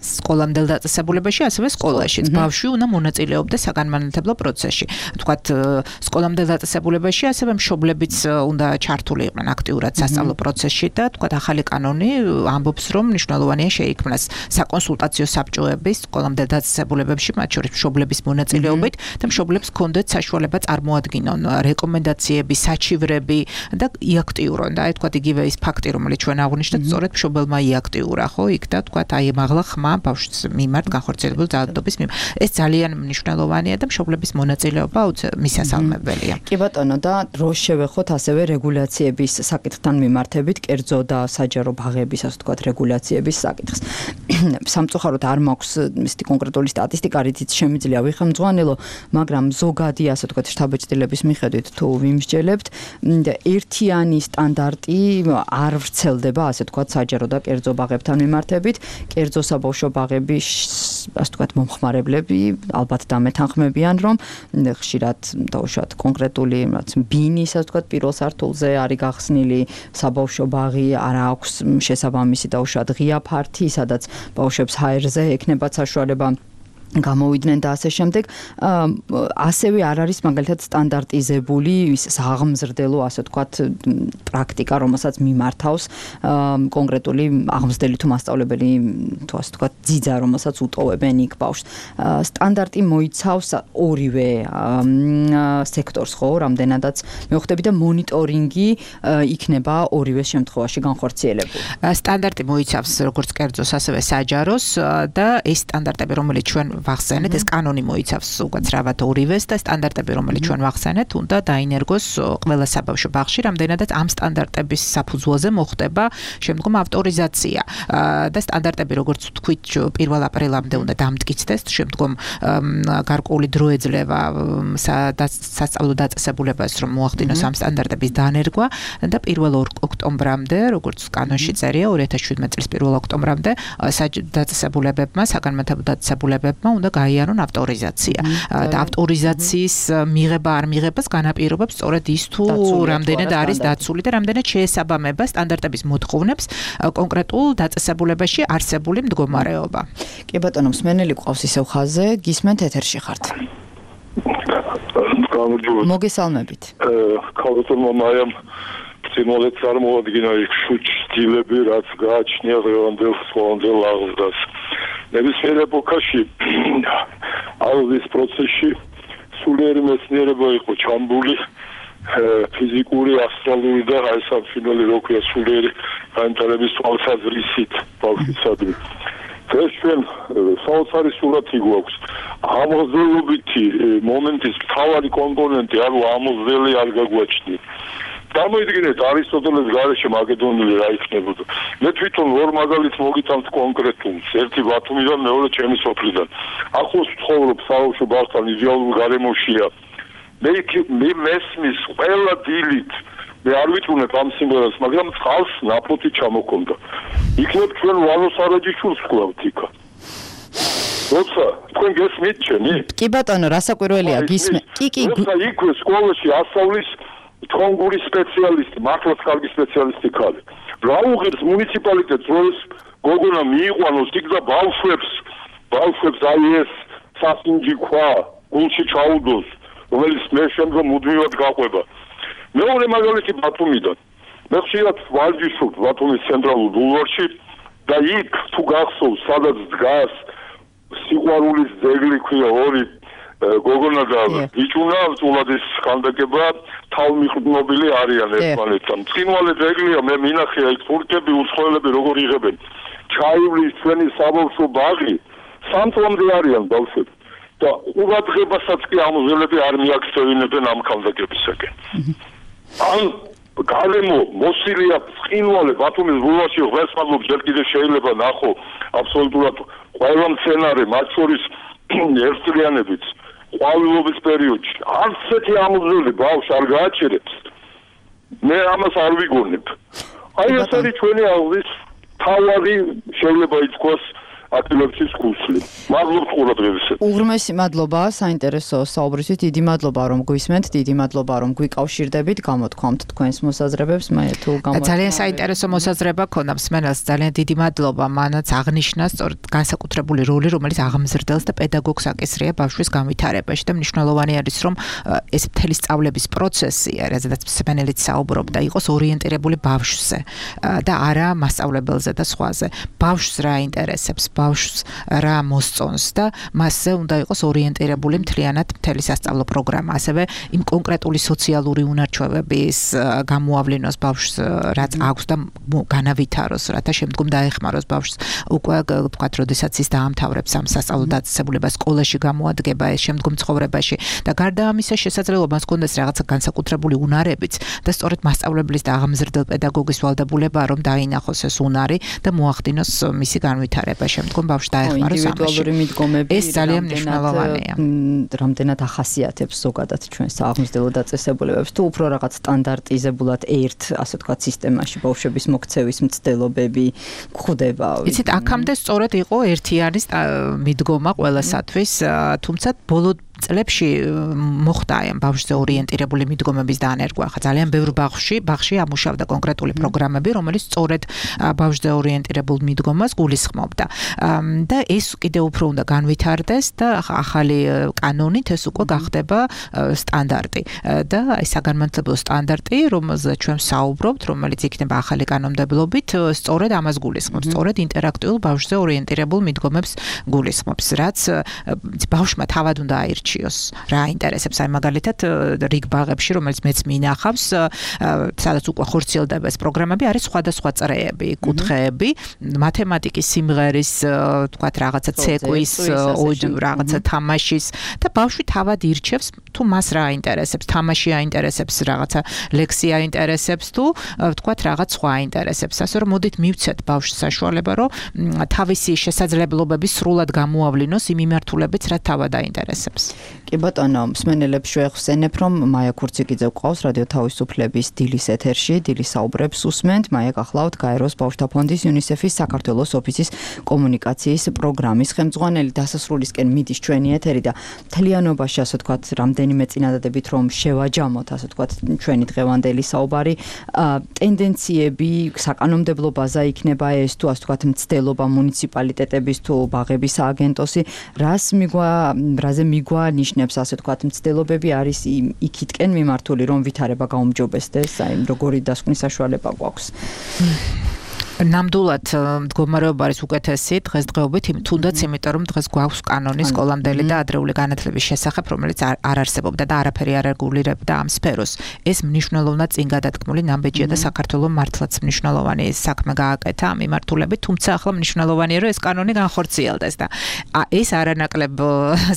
სკოლამდელ დაწესებულებაში, ასევე სკოლაშიც. ბავშვი უნდა მონაწილეობდეს საგანმანათლებლო პროცესში. თქვათ, სკოლამდელ დაწესებულებაში ასევე მშობლებიც უნდა ჩართული იყვნენ აქტიურად სასწავლო პროცესში და თქვათ, ახალი კანონი ამბობს, რომ მნიშვნელოვანია შეიქმნას საკონსულტაციო საბჭოების სკოლამდელ დაწესებულებებში, მათ შორის მშობლების მონაწილეობით და მშობლებს ჰქონდეთ საშუალება წარმოადგინონ რეკომენდაციები, საჩივრები და იაქტიურონ და აი თქვათ იგივე ის ფაქტი, რომელიც ჩვენ აღვნიშნეთ, სწორედ მშობელმა იაქტიურა, ხო, იქ და თქვათ აი მაღლა ხმა ბავშვს მიმართ განხორციელებულ ძალადობის მიმართ. ეს ძალიან მნიშვნელოვანია და მშობლების მონაწილეობა მისასალმებელია. კი ბატონო და დროს შევეხოთ ასევე რეგულაციების საკითხთან მიმართებით, კერძო და საჯარო ბაღების, ასე ვთქვათ, რეგულაციების საკითხს. სამწუხაროდ არ მაქვს ისეთი კონკრეტული სტატისტიკა, რითიც შემიძლია ვიხელმძღვანელო, მაგრამ ზოგადი, ასე ვთქვათ, შთაბეჭდილების მიხედვით თუ ვიმსჯელებთ, ერთიანი სტანდარტი არ ვრცელდება, ასე ვთქვათ, საჯარო და კერძო ბაღებთან მიმართებით. კერძო საბავშვო ბაღების, ასე ვთქვათ, მომხმარებლები ალბათ დამეთანხმებიან, რომ ხშირად დაუშვათ კონკრეტული, რაც ბინის, ასე ვთქვათ, პირველ სართულზე არის გახსნილი საბავშვო ბაღი, არ აქვს შესაბამისი დაუშვათ ღია ფართი, სადაც ბავშვებს ჰაერზე ექნებათ საშუალება გამოვიდნენ და ასე შემდეგ. ასევე არ არის მაგალითად სტანდარტიზებული ის აღმზრდელო, ასე ვთქვათ, პრაქტიკა, რომელსაც მიმართავს კონკრეტული აღმზრდელი თუ მასწავლებელი, თუ ასე ვთქვათ, ძიძა, რომელსაც უტოვებენ იქ ბავშვს. სტანდარტი მოიცავს ორივე სექტორს, ხო, რამდენადაც მეუხდები და მონიტორინგი იქნება ორივე შემთხვევაში განხორციელებული. სტანდარტი მოიცავს როგორც კერძოს, ასევე საჯაროს და ეს სტანდარტები, რომელიც ჩვენ ვახსენეთ, ეს კანონი მოიცავს უკაცრავად ორივეს და სტანდარტები, რომელიც ჩვენ ვახსენეთ, უნდა დაინერგოს ყველა საბავშვო ბაღში, რამდენადაც ამ სტანდარტების საფუძველზე მოხდება შემდგომ ავტორიზაცია და სტანდარტები, როგორც ვთქვით, პირველ აპრილამდე უნდა დამტკიცდეს, შემდგომ გარკვეული დრო ეძლევა სასწავლო დაწესებულებას, რომ მოახდინოს ამ სტანდარტების დანერგვა და პირველ ოქტომბრამდე, როგორც კანონში წერია, ორი ათას შვიდმეტი წლის პირველ ოქტომბრამდე დაწესებულებებმა, საგანმანათლებლო დაწესებულებებმა უნდა გაიარონ ავტორიზაცია. და ავტორიზაციის მიღება არ მიღებას განაპირობებს სწორედ ის თუ რამდენად არის დაცული და რამდენად შეესაბამება სტანდარტების მოთხოვნებს კონკრეტულ დაწესებულებაში არსებული მდგომარეობა. კი ბატონო, მსმენელი ყავს ისევ ხაზზე, გისმენთ ეთერში ხართ. მოგესალმებით. ქალბატონმა მაიამ წინვალეთ წარმოადგინა იქ შუჩდილები, რაც გააჩნია დღევანდელ სკოლამდელ აღზრდას. ნებისმიერ ეპოქაში აღზრდის პროცესში სულიერი მეცნიერება იყო ჩამბული, ფიზიკური, ასტრალური და აი სამშინელი როქვია სულიერი განვითარების თვალსაზრისით ბავშვისადმი. ეს ჩვენ საოცარი სურათი გვაქვს. ამოძველობითი მომენტის მთავარი კომპონენტი ანუ ამოძველი არ გაგვაჩნია. გამოიდგინეთ არისტოტელეს გარეშე მაკედონელი რა იქნებოდა. მე თვითონ ორ მაგალითს მოგიტანთ კონკრეტულს, ერთი ბათუმიდან, მეორე ჩემი სოფლიდან. ახლოს ვცხოვრობ საბავშვო ბაღთან იდეალურ გარემოშია. მე მე მესმის ყველა დილით მე არ ვიტყუნებ ამ სიმღერას, მაგრამ წყალს ნაფოტი ჩამოქონდა. იქნებ ჩვენ ვალოს არაჯიშულს ვკლავთ იქა. როცა თქვენ გესმით ჩემი? კი ბატონო, რასაკვირველია გისმენთ. კი კი. როცა იქ სკოლაში ასწავლის თრონგული სპეციალისტი, მართლაც კარგი სპეციალისტი ხარ. რა უღირს მუნიციპალიტეტს, რომ გოგონა მიიყვანოს იქ და ბავშვებს, ბავშვებს აი ეს სასინჯი ქვა გულში ჩაუდოს, რომელიც მე შემდგომ მუდმივად გაყვება. მეორე მაგალითი ბათუმიდან. მე ხშირად ვარჯიშობ ბათუმის ცენტრალურ ბულვარში და იქ თუ გახსოვს, სადაც დგას სიყვარულის ძეგლი ქვია ორი გოგონა და ბიჭუნა, უწულადის ხანდაკება თავმიყრდნობილი არიან ერთმანეთთან. ცხინვალე ძეგლია, მე მინახია იქ თურქები, უცხოელები როგორ იღებენ. ჩაივლის ჩვენი საბავშვო ბაღი, სამწლამდე არიან ბავშვები. და ყურადღებასაც კი ამოძველები არ მიაქცევინებენ ამ ხანდაკებისაკენ. ან გარემო მოსილია ცხინვალე ბათუმის ბულვარში, ღმერთმადლობ, ჯერ კიდევ შეიძლება ნახო აბსოლუტურად ყველა მცენარე, მათ შორის ერთწლიანებიც ყვავილობის პერიოდში არც ერთი ამოძველი ბავშვს არ გააჩერებს. მე ამას არ ვიგონებ. აი ეს არის ჩვენი აღზრდის თავარი, შეიძლება ითქვას, ატილებში გუსლი. მადლობთ ყურადღებისთვის. უღრმესი მადლობა საინტერესო საუბრისთვის. დიდი მადლობა რომ გვისმენთ, დიდი მადლობა რომ გვიკავშირდებით, გამოთქვამთ თქვენს მოსაზრებებს. მე თუ გამოთქვამთ. ძალიან საინტერესო მოსაზრება ქონდა მსმენელს. ძალიან დიდი მადლობა მანაც აღნიშნა სწორედ განსაკუთრებული როლი, რომელიც აღმზრდელს და პედაგოგს აკისრია ბავშვის განვითარებაში და მნიშვნელოვანი არის რომ ეს მთელი სწავლების პროცესი, რაზედაც მსმენელიც საუბრობდა, იყოს ორიენტირებული ბავშვზე და არა მასწავლებელზე და სხვაზე. ბავშვს რა ინტერესებს, ბავშვს რა მოსწონს და მასზე უნდა იყოს ორიენტირებული მთლიანად მთელი სასწავლო პროგრამა. ასევე იმ კონკრეტული სოციალური უნარჩვევების გამოავლენას ბავშვს რაც აქვს და განავითაროს, რათა შემდგომ დაეხმაროს ბავშვს უკვე თქვათ, როდესაც ის დაამთავრებს ამ სასწავლო დაწესებულებას, სკოლაში გამოადგება ეს შემდგომ ცხოვრებაში და გარდა ამისა შესაძლებლობა მას კონდეს რაღაცა განსაკუთრებული უნარებიც და სწორედ მასწავლებლის და აღმზრდელ პედაგოგის ვალდებულება რომ დაინახოს ეს უნარი და მოახდინოს მისი განვითარება შემდგომ ბავშვს დაეხმაროს ამაში. ინდივიდუალური მიდგომები ეს ძალიან მნიშვნელოვანია. რამდენად ახასიათებს ზოგადად ჩვენს აღმზრდელ დაწესებულებებს თუ უფრო რაღაც სტანდარტიზებულად ერთ, ასე ვთქვათ, სისტემაში ბავშვების მოქცევის მცდელობები გვხვდება. იცით, აქამდე სწორედ იყო ერთიანი მიდგომა ყველასათვის, თუმცა ბოლო წლებში მოხდა ამ ბავშვზე ორიენტირებული მიდგომების დანერგვა. ხა ძალიან ბევრ ბავშვში, ბავშვში ამუშავდა კონკრეტული პროგრამები, რომელიც სწორედ ბავშვზე ორიენტირებულ მიდგომას გულისხმობდა. და ეს კიდევ უფრო უნდა განვითარდეს და ახალი კანონით ეს უკვე გახდება სტანდარტი. და აი საგანმანათლებლო სტანდარტი, რომელზეც ჩვენ საუბრობთ, რომელიც იქნება ახალი კანონმდებლობით, სწორედ ამას გულისხმობს, სწორედ ინტერაქტიულ ბავშვზე ორიენტირებულ მიდგომებს გულისხმობს, რაც ბავშვმა თავად უნდა აირჩიოს. რა ინტერესებს, აი მაგალითად რიგ ბაღებში, რომელიც მეც მინახავს, სადაც უკვე ხორციელდება ეს პროგრამები, არის სხვადასხვა წრეები, კუთხეები, მათემატიკის, სიმღერის, თქვათ რაღაცა ცეკვის, რაღაცა თამაშის და ბავშვი თავად ირჩევს თუ მას რა ინტერესებს, თამაში აინტერესებს, რაღაცა ლექსი აინტერესებს თუ თქვათ რაღაც სხვა აინტერესებს. ასე რომ მოდით მივცეთ ბავშვს საშუალება, რომ თავისი შესაძლებლობები სრულად გამოავლინოს იმ მიმართულებით, რაც თავად აინტერესებს. კი ბატონო, მსმენელებს შევეხსენებ, რომ მაია ქურციკიძე გვყავს რადიო თავისუფლების დილის ეთერში, დილის საუბრებს უსმენთ. მაია გახლავთ გაეროს ბავშვთა ფონდის იუნისეფის საქართველოს ოფისის კომუნიკაციის პროგრამის ხელმძღვანელი. დასასრულისკენ მიდის ჩვენი ეთერი და მთლიანობაში, ასე ვთქვათ, რამდენიმე წინადადებით რომ შევაჯამოთ, ასე ვთქვათ, ჩვენი დღევანდელი საუბარი, ტენდენციები, საკანონმდებლო ბაზა იქნება ეს თუ ასე ვთქვათ, მცდელობა მუნიციპალიტეტების თუ ბაღების სააგენტოსი, რას მიგვა, რაზე მიგვა ნიშნებს, ასე ვთქვათ, მცდელობები არის იქითკენ მიმართული, რომ ვითარება გაუმჯობესდეს, აი როგორი დასკვნის საშუალება გვაქვს. ნამდვილად მდგომარეობა არის უკეთესი დღესდღეობით, თუნდაც იმიტომ რომ დღეს გვაქვს კანონი სკოლამდელი და ადრეული განათლების შესახებ, რომელიც არ არსებობდა და არაფერი არ რეგულირებდა ამ სფეროს. ეს მნიშვნელოვნად წინ გადადგმული ნაბიჯია და საქართველოს მართლაც მნიშვნელოვანი საქმე გააკეთა ამ მიმართულებით, თუმცა ახლა მნიშვნელოვანია რომ ეს კანონი განხორციელდეს და ეს არანაკლებ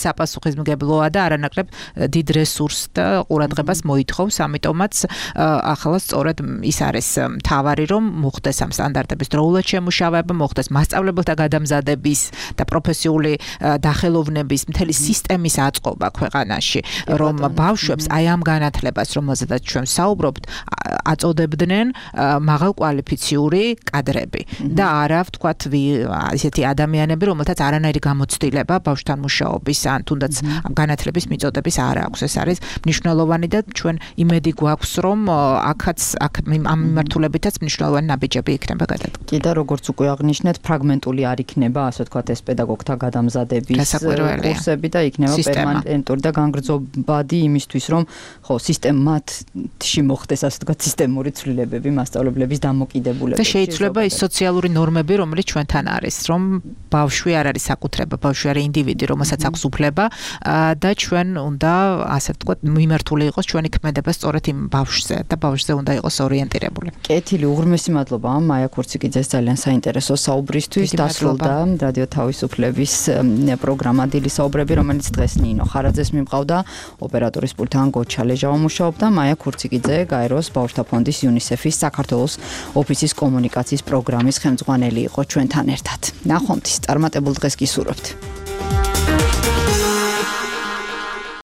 საპასუხისმგებლოა და არანაკლებ დიდ რესურსს და ყურადღებას მოითხოვს, ამიტომაც ახლა სწორედ ის არის მთავარი რომ მოხდეს ამ სტანდარტ დროულად შემუშავება, მოხდეს მასწავლებელთა გადამზადების და პროფესიული დახელოვნების მთელი სისტემის აწყობა ქვეყანაში, რომ ბავშვებს აი ამ განათლებას, რომელზედაც ჩვენ საუბრობთ, აწოდებდნენ მაღალკვალიფიციური კადრები და არა, ვთქვათ, ისეთი ადამიანები, რომელთაც არანაირი გამოცდილება ბავშვთან მუშაობის ან თუნდაც განათლების მიწოდების არ აქვს. ეს არის მნიშვნელოვანი და ჩვენ იმედი გვაქვს, რომ აქაც ამ მიმართულებითაც მნიშვნელოვანი ნაბიჯები იქნება. კი და როგორც უკვე აღნიშნეთ, ფრაგმენტული არ იქნება, ასე ვთქვათ, ეს პედაგოგთა გადამზადების კურსები და იქნება პერმანენტური და განგრძობადი იმისთვის, რომ ხო, სისტემატში მოხდეს, ასე ვთქვათ, სისტემური ცვლილებები მასწავლებლების დამოკიდებულებაში. და შეიძლება ის სოციალური ნორმები, რომელიც ჩვენთან არის, რომ ბავშვი არ არის საკუთრება, ბავშვი არის ინდივიდი, რომელსაც აქვს უფლება და ჩვენ უნდა, ასე ვთქვათ, მიმართული იყოს ჩვენი ქმედება სწორედ იმ ბავშვზე და ბავშვზე უნდა იყოს ორიენტირებული. კეთილი, უღრმესი მადლობა მაია ქურციკიძეს ძალიან საინტერესო საუბრისთვის. დასრულდა რადიო თავისუფლების პროგრამა დილის საუბრები, რომელიც დღეს ნინო ხარაძეს მიმყავდა, ოპერატორის პულტთან გოჩა ლეჟავა მუშაობდა, მაია ქურციკიძე გაეროს ბავშვთა ფონდის იუნისეფის საქართველოს ოფისის კომუნიკაციის პროგრამის ხელმძღვანელი იყო ჩვენთან ერთად. ნახვამდის წარმატებულ დღეს გისურვებთ.